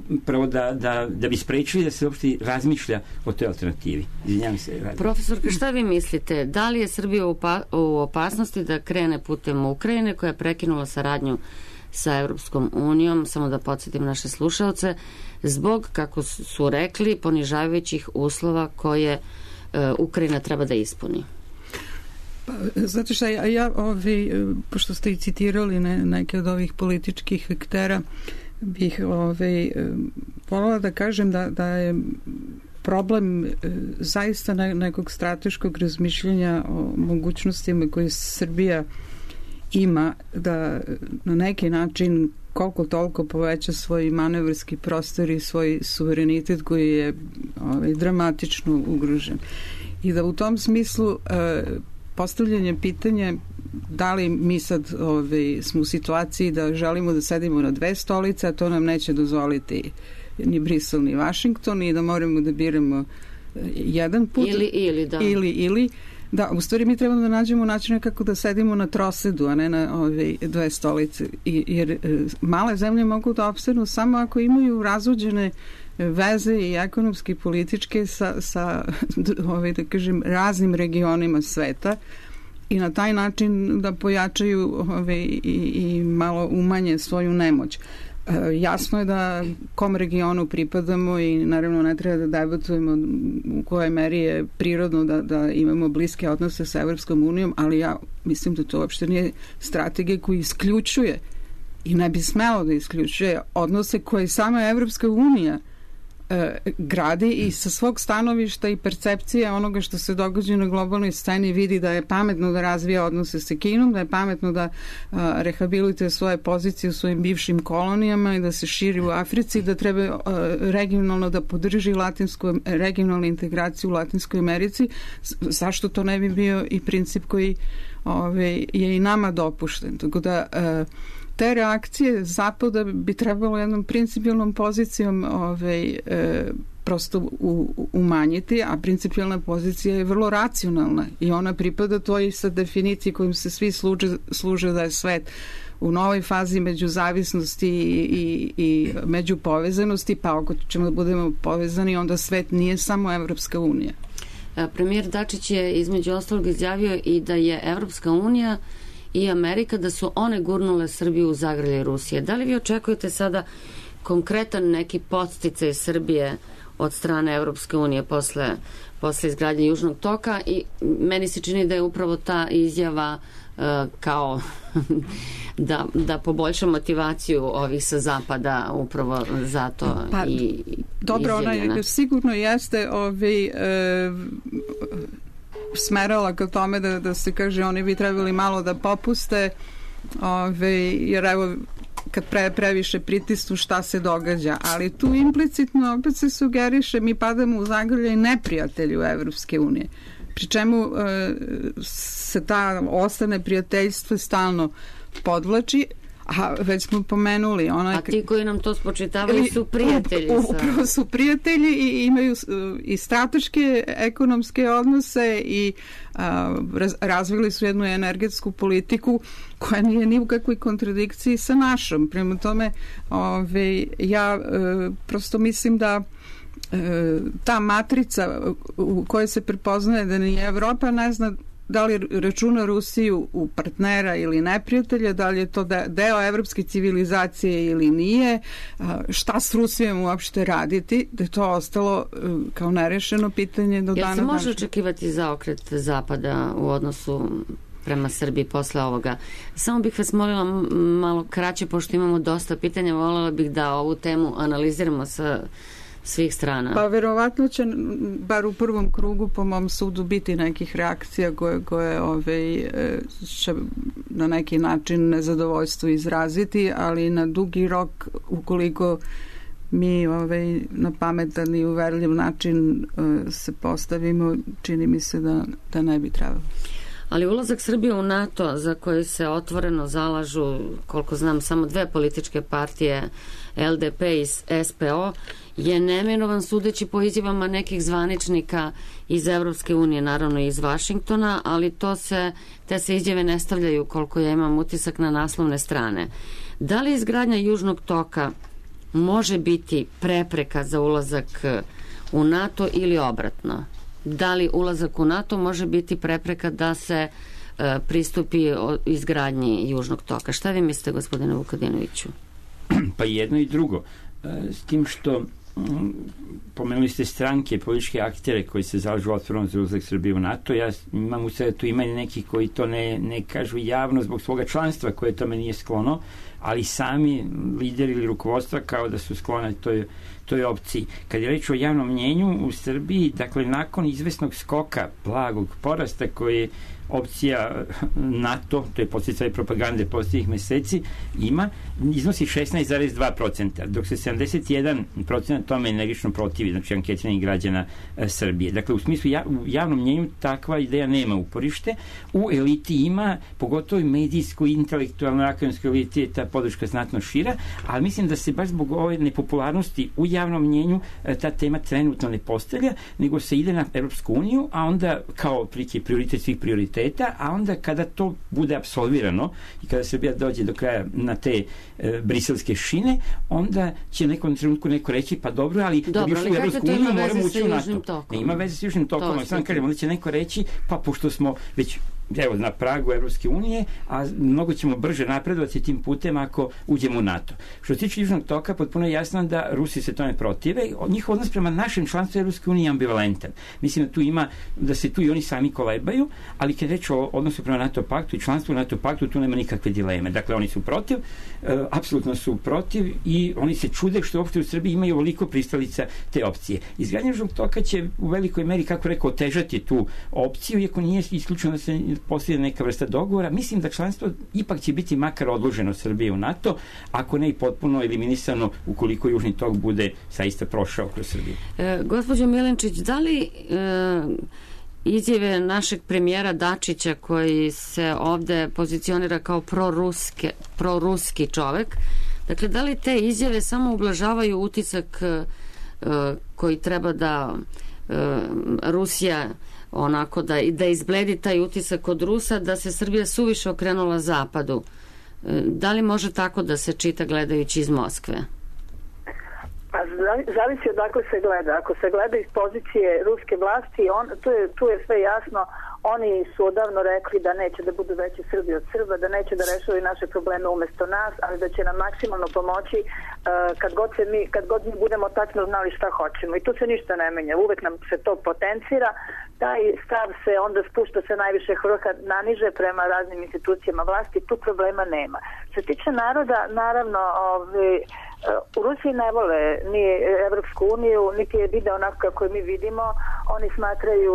C: upravo da bi sprečili da se uopšte razmišlja o toj alternativi. Izvinjam se.
A: Profesorka, šta vi mislite? Da li je Srbija u opasnosti da krene putem Ukrajine, koja je prekinula saradnju sa Evropskom unijom, samo da podsjetim naše slušaoce, zbog, kako su rekli, ponižavajućih uslova koje Ukrajina treba da ispuni?
E: Pa, zato što pošto ste i citirali neke od ovih političkih aktera, bih voljela da kažem da je problem zaista nekog strateškog razmišljanja o mogućnostima koje Srbija ima da na neki način koliko toliko poveća svoj manevarski prostor i svoj suverenitet koji je dramatično ugrožen. I da u tom smislu postavljanje pitanja da li mi sad smo u situaciji da želimo da sedimo na dve stolice, a to nam neće dozvoliti ni Brisel ni Vašington i da moramo da biramo jedan put.
A: Ili, da.
E: Ili. Da, u stvari mi trebamo da nađemo način kako da sedimo na trosedu, a ne na ove dve stolice. Jer male zemlje mogu da opstanu samo ako imaju razvođene veze i ekonomske i političke sa da kažem, raznim regionima sveta i na taj način da pojačaju i malo umanje svoju nemoć. Jasno je da kom regionu pripadamo i naravno ne treba da debatujemo u kojoj meri je prirodno da imamo bliske odnose sa Evropskom unijom, ali ja mislim da to uopšte nije strategija koja isključuje i ne bi smelo da isključuje odnose koje sama Evropska unija gradi i sa svog stanovišta i percepcije onoga što se događa na globalnoj sceni vidi da je pametno da razvija odnose sa Kinom, da je pametno da rehabilituje svoje pozicije u svojim bivšim kolonijama i da se širi u Africi, da treba regionalno da podrži regionalnu integraciju u Latinskoj Americi. Zašto to ne bi bio i princip koji je i nama dopušten? Tako da te reakcije Zapada bi trebalo jednom principijalnom pozicijom prosto umanjiti, a principijalna pozicija je vrlo racionalna i ona pripada toj sa definiciji kojim se svi služe da je svet u novoj fazi međuzavisnosti i međupovezanosti, pa ako ćemo da budemo povezani, onda svet nije samo Evropska unija.
A: Premijer Dačić je između ostalog izjavio i da je Evropska unija i Amerika, da su one gurnule Srbiju u zagrljaj Rusije. Da li vi očekujete sada konkretan neki podsticaj Srbije od strane Evropske unije posle izgradnje Južnog toka? I meni se čini da je upravo ta izjava kao da poboljša motivaciju ovih sa zapada upravo zato i
E: dobro,
A: izjavljena.
E: Ona sigurno jeste smerala ka tome da se kaže oni bi trebali malo da popuste jer evo kad previše pritisnu šta se događa, ali tu implicitno opet se sugeriše mi padamo u zagrljaj neprijatelju Evropske unije, pri čemu se ta ostane prijateljstvo stalno podvlači, a već smo pomenuli
A: a ti koji nam to spočitavaju su prijatelji.
E: Upravo su prijatelji i imaju i strateške ekonomske odnose i razvili su jednu energetsku politiku koja nije ni u kakvoj kontradikciji sa našom. Prema tome ja prosto mislim da ta matrica u kojoj se prepoznaje da ni Evropa ne zna da li računa Rusiju u partnera ili neprijatelja, da li je to deo evropske civilizacije ili nije, šta s Rusijom uopšte raditi, da je to ostalo kao nerešeno pitanje do dana današnjeg.
A: Jel se može očekivati zaokret Zapada u odnosu prema Srbiji posle ovoga? Samo bih vas molila malo kraće, pošto imamo dosta pitanja, voljela bih da ovu temu analiziramo sa svih strana.
E: Pa verovatno će, bar u prvom krugu, po mom sudu, biti nekih reakcija koje će na neki način nezadovoljstvo izraziti, ali na dugi rok, ukoliko mi na pametan i uverljiv način se postavimo, čini mi se da ne bi trebalo.
A: Ali ulazak Srbije u NATO, za koji se otvoreno zalažu, koliko znam, samo dve političke partije, LDP i SPO, je neminovan sudeći po izjavama nekih zvaničnika iz Evropske unije, naravno i iz Vašingtona, ali te se izjave ne stavljaju, koliko ja imam utisak, na naslovne strane. Da li izgradnja Južnog toka može biti prepreka za ulazak u NATO ili obratno? Da li ulazak u NATO može biti prepreka da se pristupi izgradnji Južnog toka? Šta vi mislite, gospodine Vukadinoviću?
C: Pa jedno i drugo. S tim što pomenuli ste stranke, političke aktere koji se zalažu otvoreno za ulazak Srbije u NATO. Ja imam u sve da tu ima neki koji to ne kažu javno zbog svoga članstva koje tome nije sklono, ali sami lideri ili rukovodstva kao da su sklone toj opciji. Kad je reč o javnom mnjenju u Srbiji, dakle, nakon izvesnog skoka, blagog porasta koji opcija NATO, to je podsticaj propagande posljednjih meseci, iznosi 16,2%, dok se 71% tome energično protivi, znači anketiranih građana Srbije. Dakle, u smislu u javnom mnjenju takva ideja nema uporište. U eliti ima, pogotovo i medijsko, intelektualno, akademskoj eliti je ta podrška znatno šira, ali mislim da se baš zbog ove nepopularnosti u javnom mnjenju ta tema trenutno ne postavlja, nego se ide na Evropsku uniju, a onda kao prioritet svih prioriteta, a onda kada to bude apsolvirano i kada Srbija dođe do kraja na te briselske šine, onda će nekom trenutku neko reći, pa dobro, ali da bi ušli u Evropsku uniju moramo ući u NATO. Ne ima veze s južnim tokom, ali sam kažem, onda će neko reći, pa pošto smo već na pragu Evropske unije, a mnogo ćemo brže napredovati tim putem ako uđemo u NATO. Što se tiče južnog toka, potpuno je jasno da Rusi se tome protive. Njihov odnos prema našem članstvu Evropske unije je ambivalentan. Mislim da se tu i oni sami kolebaju, ali kad reč o odnosu prema NATO paktu i članstvu u NATO paktu, tu nema nikakve dileme. Dakle, oni su protiv, apsolutno su protiv i oni se čude što uopšte u Srbiji imaju ovoliko pristalica te opcije. Izgradnja južnog toka će u velikoj meri, kako rekao, otežati tu opciju, iako nije isključeno da se postoji neka vrsta dogovora. Mislim da članstvo ipak će biti makar odloženo Srbije u NATO, ako ne i potpuno eliminisano ukoliko južni tok bude saista prošao kroz Srbiju.
A: Gospođo Milenčić, da li izjave našeg premijera Dačića, koji se ovde pozicionira kao proruski čovek, dakle, da li te izjave samo ublažavaju utisak koji treba da Rusija onako da izbledi taj utisak od Rusa, da se Srbija suviše okrenula zapadu? Da li može tako da se čita gledajući iz Moskve?
F: Pa zavisi odakle se gleda. Ako se gleda iz pozicije ruske vlasti, tu je sve jasno. Oni su odavno rekli da neće da budu veći Srbi od Srba, da neće da rešavaju naše probleme umesto nas, ali da će nam maksimalno pomoći kad god mi budemo tačno znali šta hoćemo. I tu se ništa ne menja. Uvek nam se to potencira. Taj stav se onda spušta se najviše vrha naniže prema raznim institucijama vlasti. Tu problema nema. Što se tiče naroda, naravno, u Rusiji ne vole ni Evropsku uniju, niti je vide onako kako mi vidimo. Oni smatraju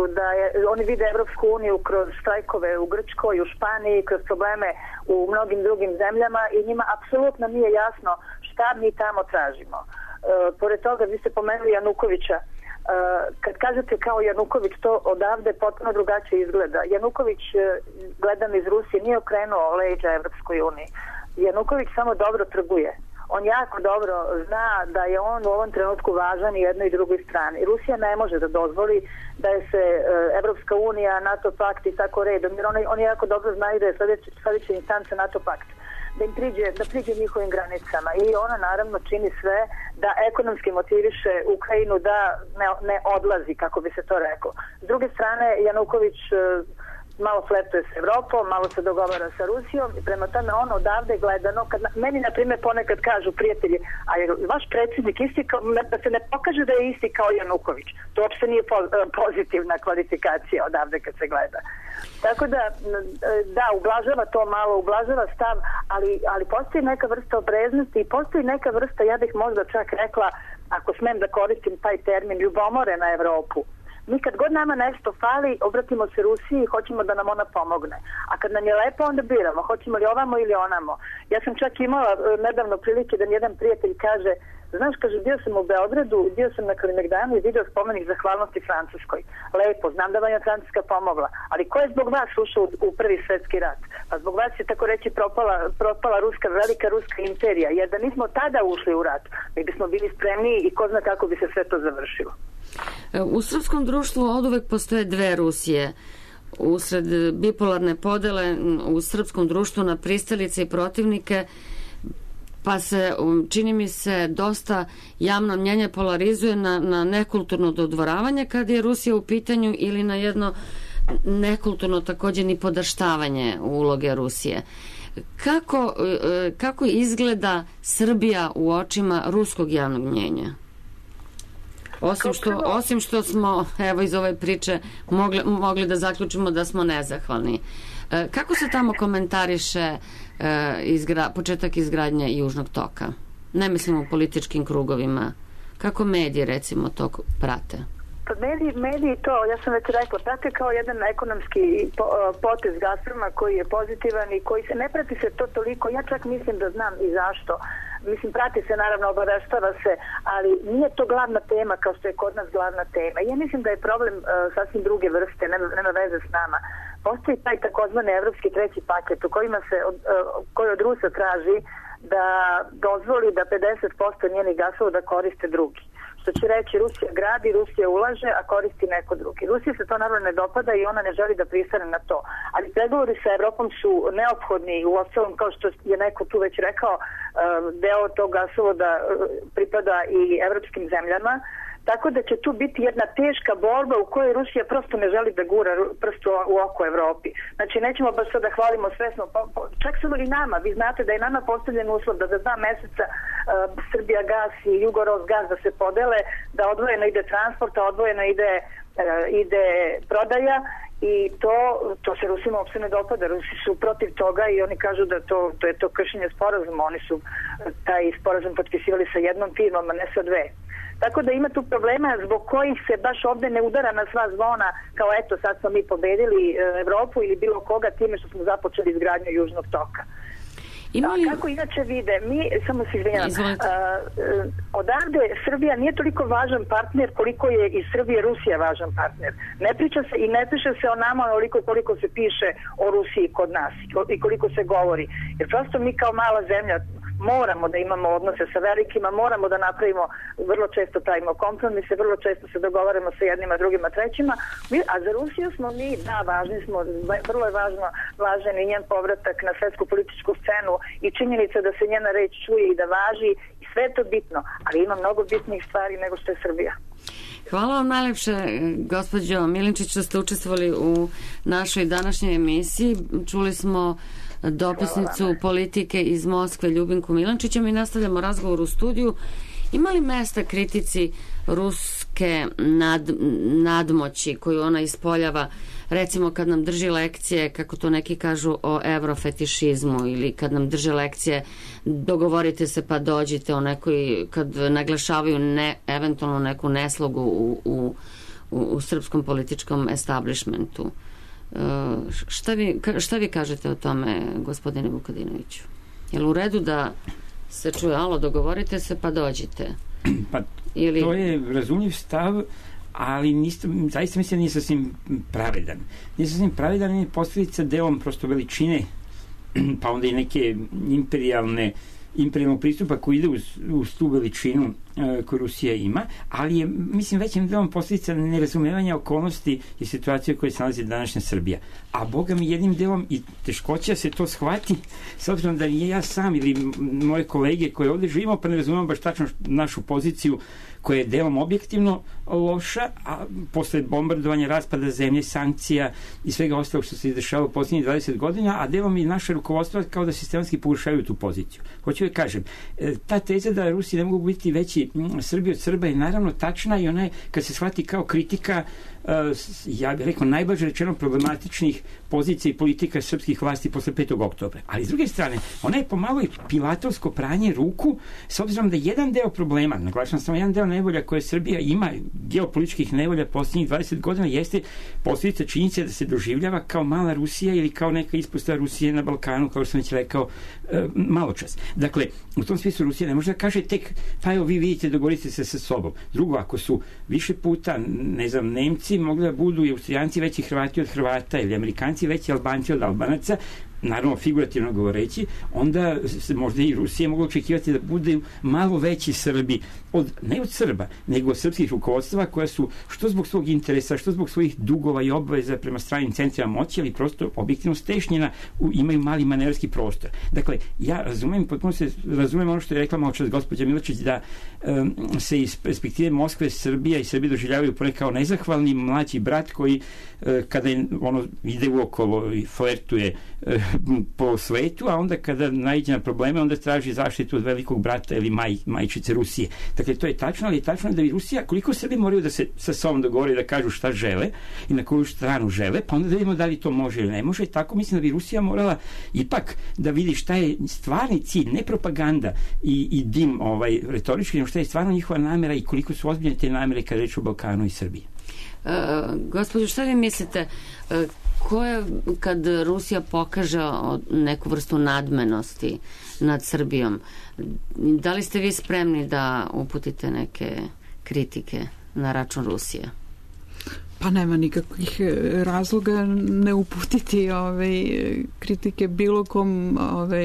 F: oni vide Evropsku uniju kroz štrajkove u Grčkoj, u Španiji, kroz probleme u mnogim drugim zemljama i njima apsolutno nije jasno šta mi tamo tražimo. Pored toga, vi ste pomenuli Janukovića. Kad kažete kao Januković, to odavde potpuno drugačije izgleda. Januković, gledam iz Rusije, nije okrenuo leđa Evropskoj uniji. Januković samo dobro trguje. On jako dobro zna da je on u ovom trenutku važan i jednoj i drugoj strani. Rusija ne može da dozvoli da je se Evropska unija, NATO pakt i tako redom, jer oni jako dobro znaju da je sledeća instanca NATO pakt, da priđe njihovim granicama i ona naravno čini sve da ekonomski motiviše Ukrajinu da ne odlazi, kako bi se to rekao. S druge strane, Januković malo flertuje s Evropom, malo se dogovara sa Rusijom i prema tome ono odavde gledano, meni na primjer ponekad kažu prijatelji, a je vaš predsjednik isti da se ne pokaže da je isti kao Januković. To uopšte nije pozitivna kvalifikacija odavde kad se gleda. Tako da, ublažava to malo, ublažava stav, ali postoji neka vrsta opreznosti i postoji neka vrsta, ja bih možda čak rekla, ako smem da koristim taj termin, ljubomore na Evropu. Mi kad god nama nešto fali, obratimo se Rusiji i hoćemo da nam ona pomogne. A kad nam je lepo, onda biramo, hoćemo li ovamo ili onamo. Ja sam čak imala nedavno prilike da mi jedan prijatelj kaže, znaš, kaže, bio sam u Beogradu, bio sam na Kalemegdanu i video spomenik zahvalnosti Francuskoj. Lepo, znam da vam je Francuska pomogla, ali ko je zbog vas ušao u Prvi svetski rat? Pa zbog vas je, tako reći, propala velika ruska imperija, jer da nismo tada ušli u rat, mi bismo bili spremniji i ko zna kako bi se sve to završilo.
A: U srpskom društvu oduvek postoje dve Rusije. Usred bipolarne podele u srpskom društvu na pristalice i protivnike, pa se, čini mi se, dosta javno mnjenje polarizuje na nekulturno dodvoravanje kad je Rusija u pitanju ili na jedno nekulturno takođe ni podaštavanje uloge Rusije. Kako izgleda Srbija u očima ruskog javnog mnjenja? Osim što smo, evo iz ove priče, mogli da zaključimo da smo nezahvalni. Kako se tamo komentariše početak izgradnje Južnog toka? Ne mislim u političkim krugovima. Kako mediji, recimo, to prate?
F: Pa mediji to, ja sam već rekla, prate kao jedan ekonomski potez Gazproma koji je pozitivan i koji se ne prati se to toliko. Ja čak mislim da znam i zašto. Mislim, prati se, naravno, obaveštava se, ali nije to glavna tema kao što je kod nas glavna tema. Ja mislim da je problem sasvim druge vrste, nema veze s nama. Postoji taj takozvani evropski treći paket u koji od Rusa traži da dozvoli da 50% njenih gasovoda koriste drugi. Što će reći, Rusija gradi, Rusija ulaže, a koristi neko drugi. Rusiji se to naravno ne dopada i ona ne želi da pristane na to. Ali pregovori sa Evropom su neophodni, u ostalom, kao što je neko tu već rekao, deo tog gasovoda pripada i evropskim zemljama. Tako da će tu biti jedna teška borba u kojoj Rusija prosto ne želi da gura prstu u oko Evropi. Znači, nećemo baš sad da hvalimo svesno, čak samo i nama. Vi znate da je nama postavljen uslov da za 2 meseca Srbija gas i Jugoros gas da se podele, da odvojeno ide transport, a odvojeno ide prodaja i to se Rusima uopšte ne dopada. Rusi su protiv toga i oni kažu da to je to kršenje sporazuma. Oni su taj sporazum potpisivali sa jednom firmom, a ne sa dve. Tako da ima tu problema zbog kojih se baš ovde ne udara na sva zvona kao eto sad smo mi pobedili Evropu ili bilo koga time što smo započeli izgradnju Južnog toka. Kako inače vide, mi, samo se izvinjam, odavde Srbija nije toliko važan partner koliko je i Srbija Rusija važan partner. Ne piše se o nama onoliko koliko se piše o Rusiji kod nas i koliko se govori. Jer prosto mi kao mala zemlja moramo da imamo odnose sa velikima, moramo da napravimo, vrlo često pravimo kompromise, vrlo često se dogovaramo sa jednima, drugima, trećima, a za Rusiju smo mi, da, važni smo, vrlo je važan i njen povratak na svetsku političku scenu i činjenica da se njena reč čuje i da važi i sve je to bitno, ali ima mnogo bitnijih stvari nego što je Srbija.
A: Hvala vam najlepše, gospođo Milinčić, što ste učestvovali u našoj današnjoj emisiji. Čuli smo dopisnicu politike iz Moskve Ljubinku Milančića. Mi nastavljamo razgovor u studiju. Ima li mesta kritici ruske nadmoći koju ona ispoljava, recimo kad nam drži lekcije, kako to neki kažu, o evrofetišizmu, ili kad nam drže lekcije dogovorite se pa dođite, o nekoj, kad naglašavaju eventualno neku neslogu u srpskom političkom establishmentu. Šta vi kažete o tome, gospodine Vukadinoviću? Je li u redu da se čuje, alo, dogovorite se pa dođite?
C: Pa to je razumljiv stav, ali zaista mislim da nije sasvim pravedan. Nije sasvim pravedan, je posljedica delom prosto veličine, pa onda i neke imperijalnog pristupa koji ide uz tu veličinu koju Rusija ima, ali je, mislim, većim delom posljedica nerazumevanja okolnosti i situacije u kojoj se nalazi današnja Srbija. A Boga mi jednim delom i teškoća se to shvati, s obzirom da nije ja sam ili moje kolege koje ovde živimo, pa ne razumemo baš tačno našu poziciju koja je delom objektivno loša, a posle bombardovanja, raspada zemlje, sankcija i svega ostalog što se izdešava u posljednjih 20 godina, a delom i naše rukovodstvo kao da sistematski pogušavaju tu poziciju. Hoću da kažem, ta teza da Rusi ne mogu biti veći Srbi od Srba je naravno tačna i ona je, kad se shvati kao kritika, ja bih rekao, najblaže rečeno problematičnih pozicija i politika srpskih vlasti posle 5. oktobra. Ali s druge strane, ona je pomalo i pilatovsko pranje ruku, s obzirom da jedan deo problema, naglašam samo jedan deo nevolja koje Srbija ima, geopolitičkih nevolja posljednjih 20 godina, jeste posljedica činjenice da se doživljava kao mala Rusija ili kao neka ispostava Rusije na Balkanu, kao što sam već rekao malo čas. Dakle, u tom smislu Rusija ne može da kaže tek, pa evo vi vidite, dogovorite se sa sobom. Drugo, ako su više puta, ne znam, Nemci mogli da budu i Austrijanci veći Hrvati od Hrvata ili Amerikanci veći Albanci od Albanaca, naravno figurativno govoreći, onda se možda i Rusija mogla očekivati da bude malo veći Srbi, ne od Srba, nego od srpskih rukovodstva koja su, što zbog svog interesa, što zbog svojih dugova i obaveza prema stranim centrima moći, ali prosto objektivno stešnjena, imaju mali manevarski prostor. Dakle, ja razumem ono što je rekla malo čas gospođa Miločić, da se iz perspektive Moskve, Srbija i Srbije doživljavaju kao nezahvalni mlađi brat koji kada ide uokolo i flertuje po svetu, a onda kada naiđe na probleme, onda traži zaštitu od velikog brata ili majčice Rusije. Dakle, to je tačno, ali je tačno da i Rusija, koliko Srbi moraju da se sa sobom dogovore, da kažu šta žele i na koju stranu žele, pa onda da vidimo da li to može ili ne može. Tako mislim da bi Rusija morala ipak da vidi šta je stvarni cilj, ne propaganda i dim retorički, nego šta je stvarno njihova namera i koliko su ozbiljne te namere kada reč o Balkanu i Srbiji.
A: Gospođo, šta vi mislite, kad Rusija pokaže neku vrstu nadmenosti nad Srbijom, da li ste vi spremni da uputite neke kritike na račun Rusije?
E: Pa nema nikakvih razloga ne uputiti kritike bilo kom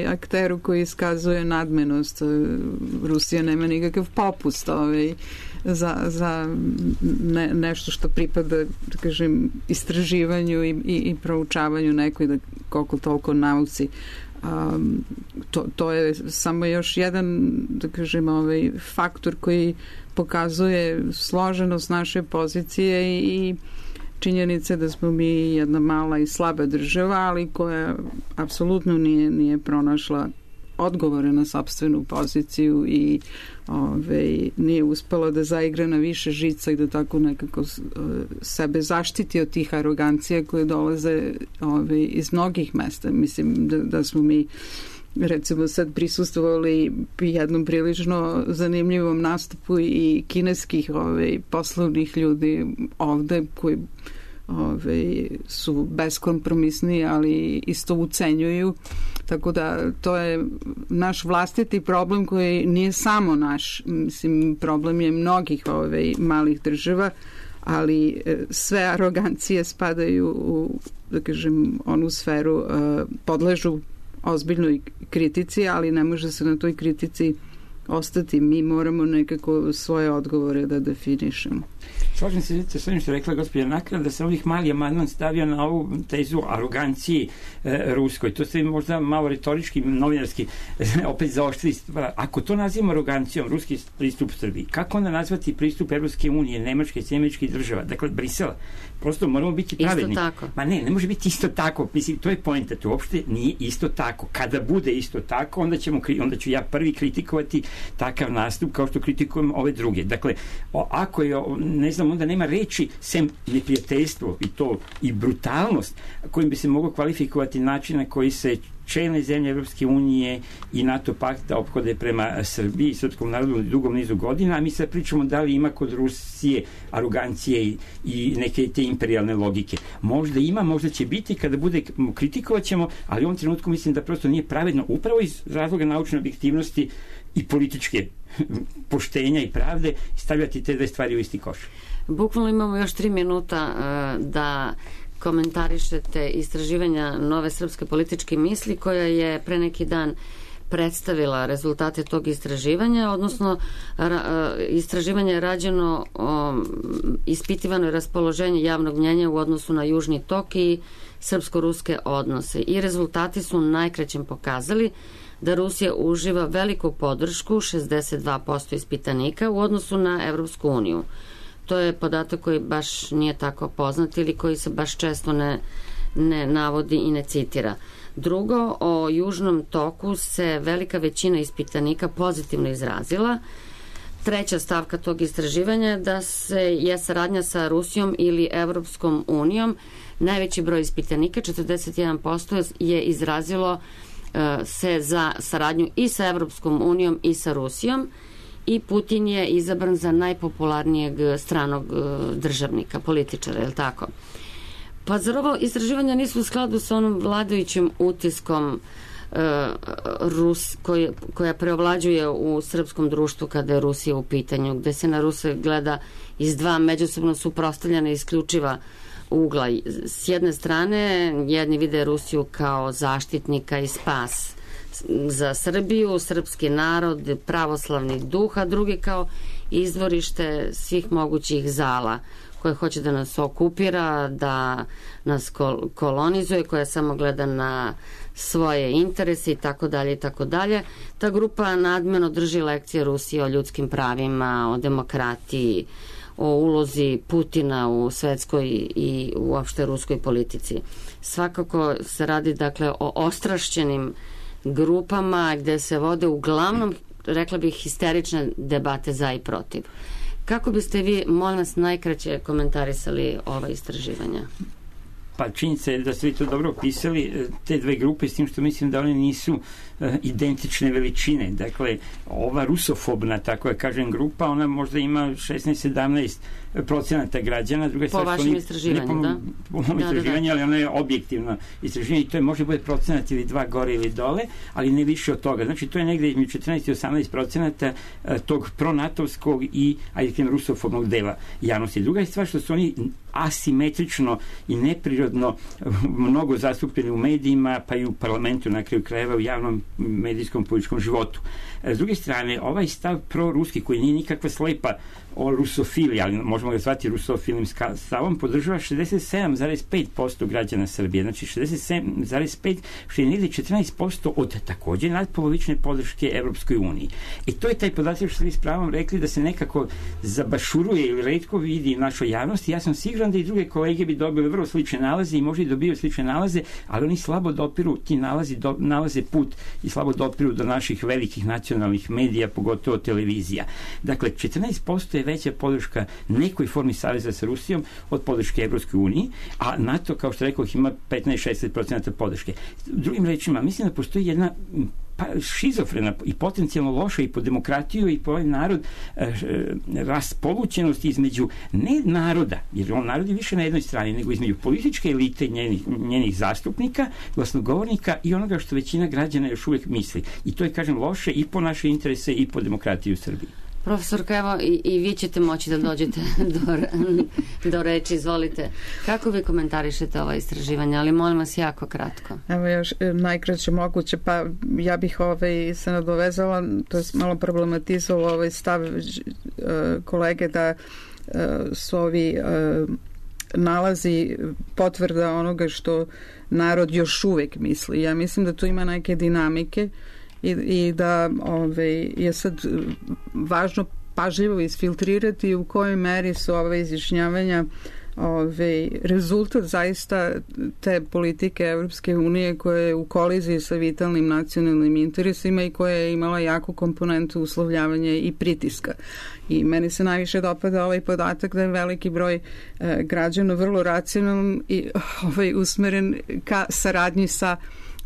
E: akteru koji iskazuje nadmenost. Rusija nema nikakav popust za nešto što pripada, da kažem, istraživanju i proučavanju nekoj, da koliko toliko nauci. To je samo još jedan, da kažem, faktor koji pokazuje složenost naše pozicije i činjenice da smo mi jedna mala i slaba država, ali koja apsolutno nije pronašla odgovore na sopstvenu poziciju i nije uspela da zaigra na više žica i da tako nekako sebe zaštiti od tih arogancija koje dolaze iz mnogih mesta. Mislim da smo mi recimo sad prisustvovali jednom prilično zanimljivom nastupu i kineskih poslovnih ljudi ovde koji su beskompromisni, ali isto ucenjuju. Tako da to je naš vlastiti problem koji nije samo naš. Mislim, problem je mnogih malih država, ali sve arogancije spadaju u, da kažem, onu sferu, podležu ozbiljnoj kritici, ali ne može se na toj kritici ostati. Mi moramo nekako svoje odgovore da definišemo.
C: Slažem se sa onim što je rekla gospođa Nakra, da se ovih mali amandman stavio na ovu tezu aroganciji ruskoj. To ste možda malo retorički, novinarski opet zaoštrili stvar. Ako to nazivamo arogancijom, ruski pristup Srbiji, kako onda nazvati pristup Evropske unije, Nemačke i Američkih država, dakle Brisela? Prosto moramo biti pravedni.
A: Isto tako.
C: Ma ne može biti isto tako. Mislim, to je poenta. To uopšte nije isto tako. Kada bude isto tako, onda ću ja prvi kritikovati takav nastup kao što kritikujem ove druge. Dakle, ako je, ne znam, onda nema reči sem neprijateljstvo i brutalnost kojim bi se moglo kvalifikovati način na koji se čelne zemlje Evropske unije i NATO pakta ophode prema Srbiji i srpskom narodu u dugom nizu godina, a mi sad pričamo da li ima kod Rusije arogancije i neke te imperijalne logike. Možda ima, možda će biti, kada bude kritikovat ćemo, ali u ovom trenutku mislim da prosto nije pravedno, upravo iz razloga naučne objektivnosti i političke poštenja i pravde, stavljati te dve stvari u isti koš.
A: Bukvalno imamo još 3 minuta da komentarišete istraživanja Nove srpske političke misli, koja je pre neki dan predstavila rezultate tog istraživanja, odnosno istraživanje je rađeno, ispitivano je raspoloženje javnog mnjenja u odnosu na Južni tok i srpsko-ruske odnose i rezultati su najkraćem pokazali da Rusija uživa veliku podršku, 62% ispitanika, u odnosu na Evropsku uniju. To je podatak koji baš nije tako poznat ili koji se baš često ne navodi i ne citira. Drugo, o Južnom toku se velika većina ispitanika pozitivno izrazila. Treća stavka tog istraživanja je da je saradnja sa Rusijom ili Evropskom unijom. Najveći broj ispitanika, 41%, je izrazilo se za saradnju i sa Evropskom unijom i sa Rusijom, i Putin je izabran za najpopularnijeg stranog državnika, političara, je li tako? Pa zar ovo istraživanja nisu u skladu sa onom vladajućim utiskom koja preovlađuje u srpskom društvu kada je Rusija u pitanju, gde se na Ruse gleda iz dva međusobno suprotstavljena isključiva ugla. S jedne strane, jedni vide Rusiju kao zaštitnika i spas za Srbiju, srpski narod, pravoslavni duh, a drugi kao izvorište svih mogućih zala koje hoće da nas okupira, da nas kolonizuje, koja samo gleda na svoje interese i tako dalje i tako dalje. Ta grupa nadmeno drži lekcije Rusije o ljudskim pravima, o demokratiji, o ulozi Putina u svetskoj i uopšte ruskoj politici. Svakako se radi dakle o ostrašćenim grupama gde se vode uglavnom, rekla bih, histerične debate za i protiv. Kako biste vi, molim vas, najkraće komentarisali ova istraživanja?
C: Pa činjenica je da ste vi to dobro opisali, te dve grupe, s tim što mislim da one nisu identične veličine. Dakle, ova rusofobna, tako da kažem, grupa, ona možda ima 16-17% građana. Druga
A: po vašem istraživanju, da?
C: Po mom istraživanju, ali ono je objektivno istraživanje i to je može bude procenat ili 2 gore ili dole, ali ne više od toga. Znači, to je negde između 14 i 18% tog pronatovskog i, ajde, rusofobnog dela javnosti. Druga je stvar što su oni asimetrično i neprirodno mnogo zastupljeni u medijima, pa i u parlamentu, na kraju krajeva, u javnom medijskom političkom životu. S druge strane, ovaj stav proruski, koji nije nikakva slepa o rusofiliji, ali možemo ga zvati rusofilnim stavom, podržava 67,5% građana Srbije. Znači 67,5%, što je negdje 14% od također nadpolovične podrške Evropskoj uniji. I to je taj podatak što ste vi s pravom rekli da se nekako zabašuruje ili retko vidi u našoj javnosti. Ja sam siguran da i druge kolege bi dobili vrlo slične nalaze i možda i dobiju slične nalaze, ali oni slabo dopiru, ti nalaze put i slabo dopiru do naših velikih nacionalnih medija, pogotovo televizija. Dakle, 14% je veća podrška nekoj formi saveza sa Rusijom od podrške Evropskoj uniji, a NATO, kao što rekao, ima 15-16% podrške. Drugim rečima, mislim da postoji jedna šizofrena i potencijalno loša i po demokratiju i po ovaj narod raspolućenost između ne naroda, jer on narod je više na jednoj strani, nego između političke elite njenih zastupnika, glasnogovornika i onoga što većina građana još uvijek misli. I to je, kažem, loše i po naše interese i po demokratiju u Srbiji.
A: Profesorka, evo i vi ćete moći da dođete do reči, izvolite. Kako vi komentarišete ova istraživanja, ali molim vas jako kratko.
E: Evo još najkraće moguće, pa ja bih se nadovezala, to je malo problematizovalo ovaj stav kolege da su ovi nalazi potvrda onoga što narod još uvijek misli. Ja mislim da tu ima neke dinamike i da je sad važno pažljivo isfiltrirati u kojoj meri su ove izjašnjavanja rezultat zaista te politike Evropske unije koja je u koliziji sa vitalnim nacionalnim interesima i koja je imala jaku komponentu uslovljavanja i pritiska. I meni se najviše dopada ovaj podatak da je veliki broj građana vrlo racionalno i usmeren ka saradnji sa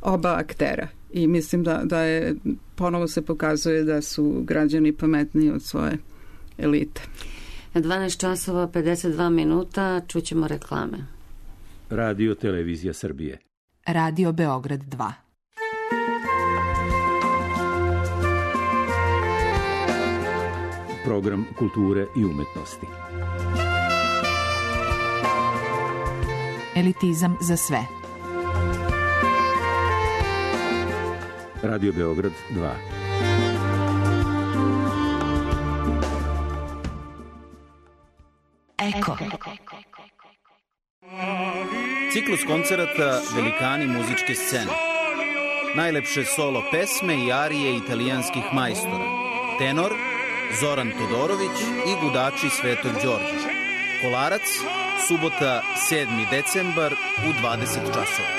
E: oba aktera. I mislim da je, ponovo se pokazuje da su građani pametniji od svoje elite.
A: 12 časova 52 minuta, čućemo reklame.
G: Radio Televizija Srbije.
D: Radio Beograd 2.
G: Program kulture i umetnosti.
D: Elitizam za sve.
G: Radio Beograd 2.
D: Eko.
H: Ciklus koncerata Velikani muzičke scene. Najlepše solo pesme i arije italijanskih majstora. Tenor Zoran Todorović i gudači Svetog Đorđa. Kolarac, subota 7. decembar u 20 časova.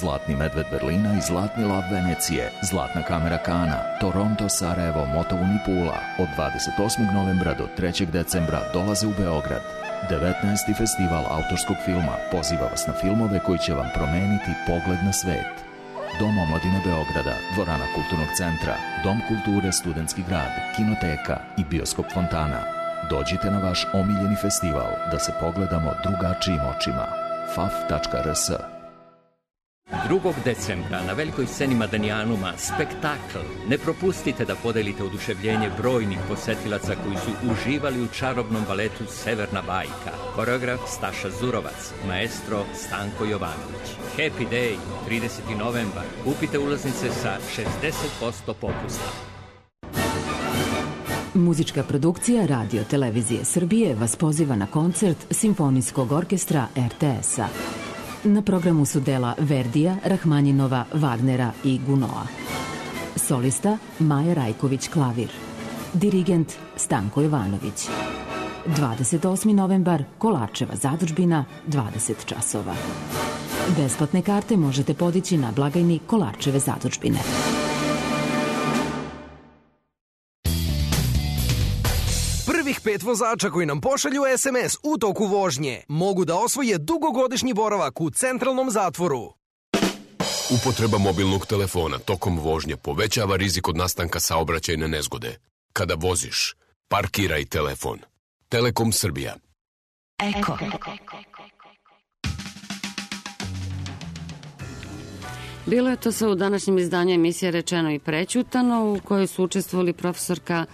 I: Zlatni medved Berlina i Zlatni lav Venecije, Zlatna kamera Kana, Toronto, Sarajevo, Motovun i Pula od 28. novembra do 3. decembra dolaze u Beograd. 19. festival autorskog filma poziva vas na filmove koji će vam promeniti pogled na svet. Dom omladine Beograda, dvorana Kulturnog centra, Dom kulture Studentski grad, Kinoteka i Bioskop Fontana. Dođite na vaš omiljeni festival da se pogledamo drugačijim očima. faf.rs.
J: 2. decembra na velikoj sceni Madanijanuma spektakl. Ne propustite da podelite oduševljenje brojnih posetilaca koji su uživali u čarobnom baletu Severna bajka. Koreograf Staša Zurovac, maestro Stanko Jovanović. Happy Day, 30. novembar. Kupite ulaznice sa 60% popusta.
D: Muzička produkcija Radio Televizije Srbije vas poziva na koncert Simfonijskog orkestra RTS-a. Na programu su dela Verdija, Rahmanjinova, Wagnera i Gunoa. Solista Maja Rajković, klavir. dirigent Stanko Jovanović. 28. novembar, Kolarčeva zadužbina, 20 časova. Besplatne karte možete podići na blagajni Kolarčeve zadužbine.
K: Prvih 5 vozača koji nam pošalju SMS u toku vožnje mogu da osvoje dugogodišnji boravak u centralnom zatvoru.
L: Upotreba mobilnog telefona tokom vožnje povećava rizik od nastanka saobraćajne nezgode. Kada voziš, parkiraj telefon. Telekom Srbija.
D: Eko.
A: Bilo je to sve u današnjem izdanju emisije Rečeno i prećutano, u kojoj su učestvovali profesorka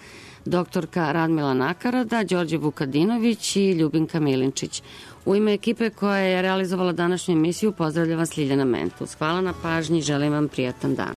A: doktorka Radmila Nakarada, Đorđe Vukadinović i Ljubinka Milinčić. U ime ekipe koja je realizovala današnju emisiju pozdravlja vas Ljiljana Mentus. Hvala na pažnji i želim vam prijatan dan.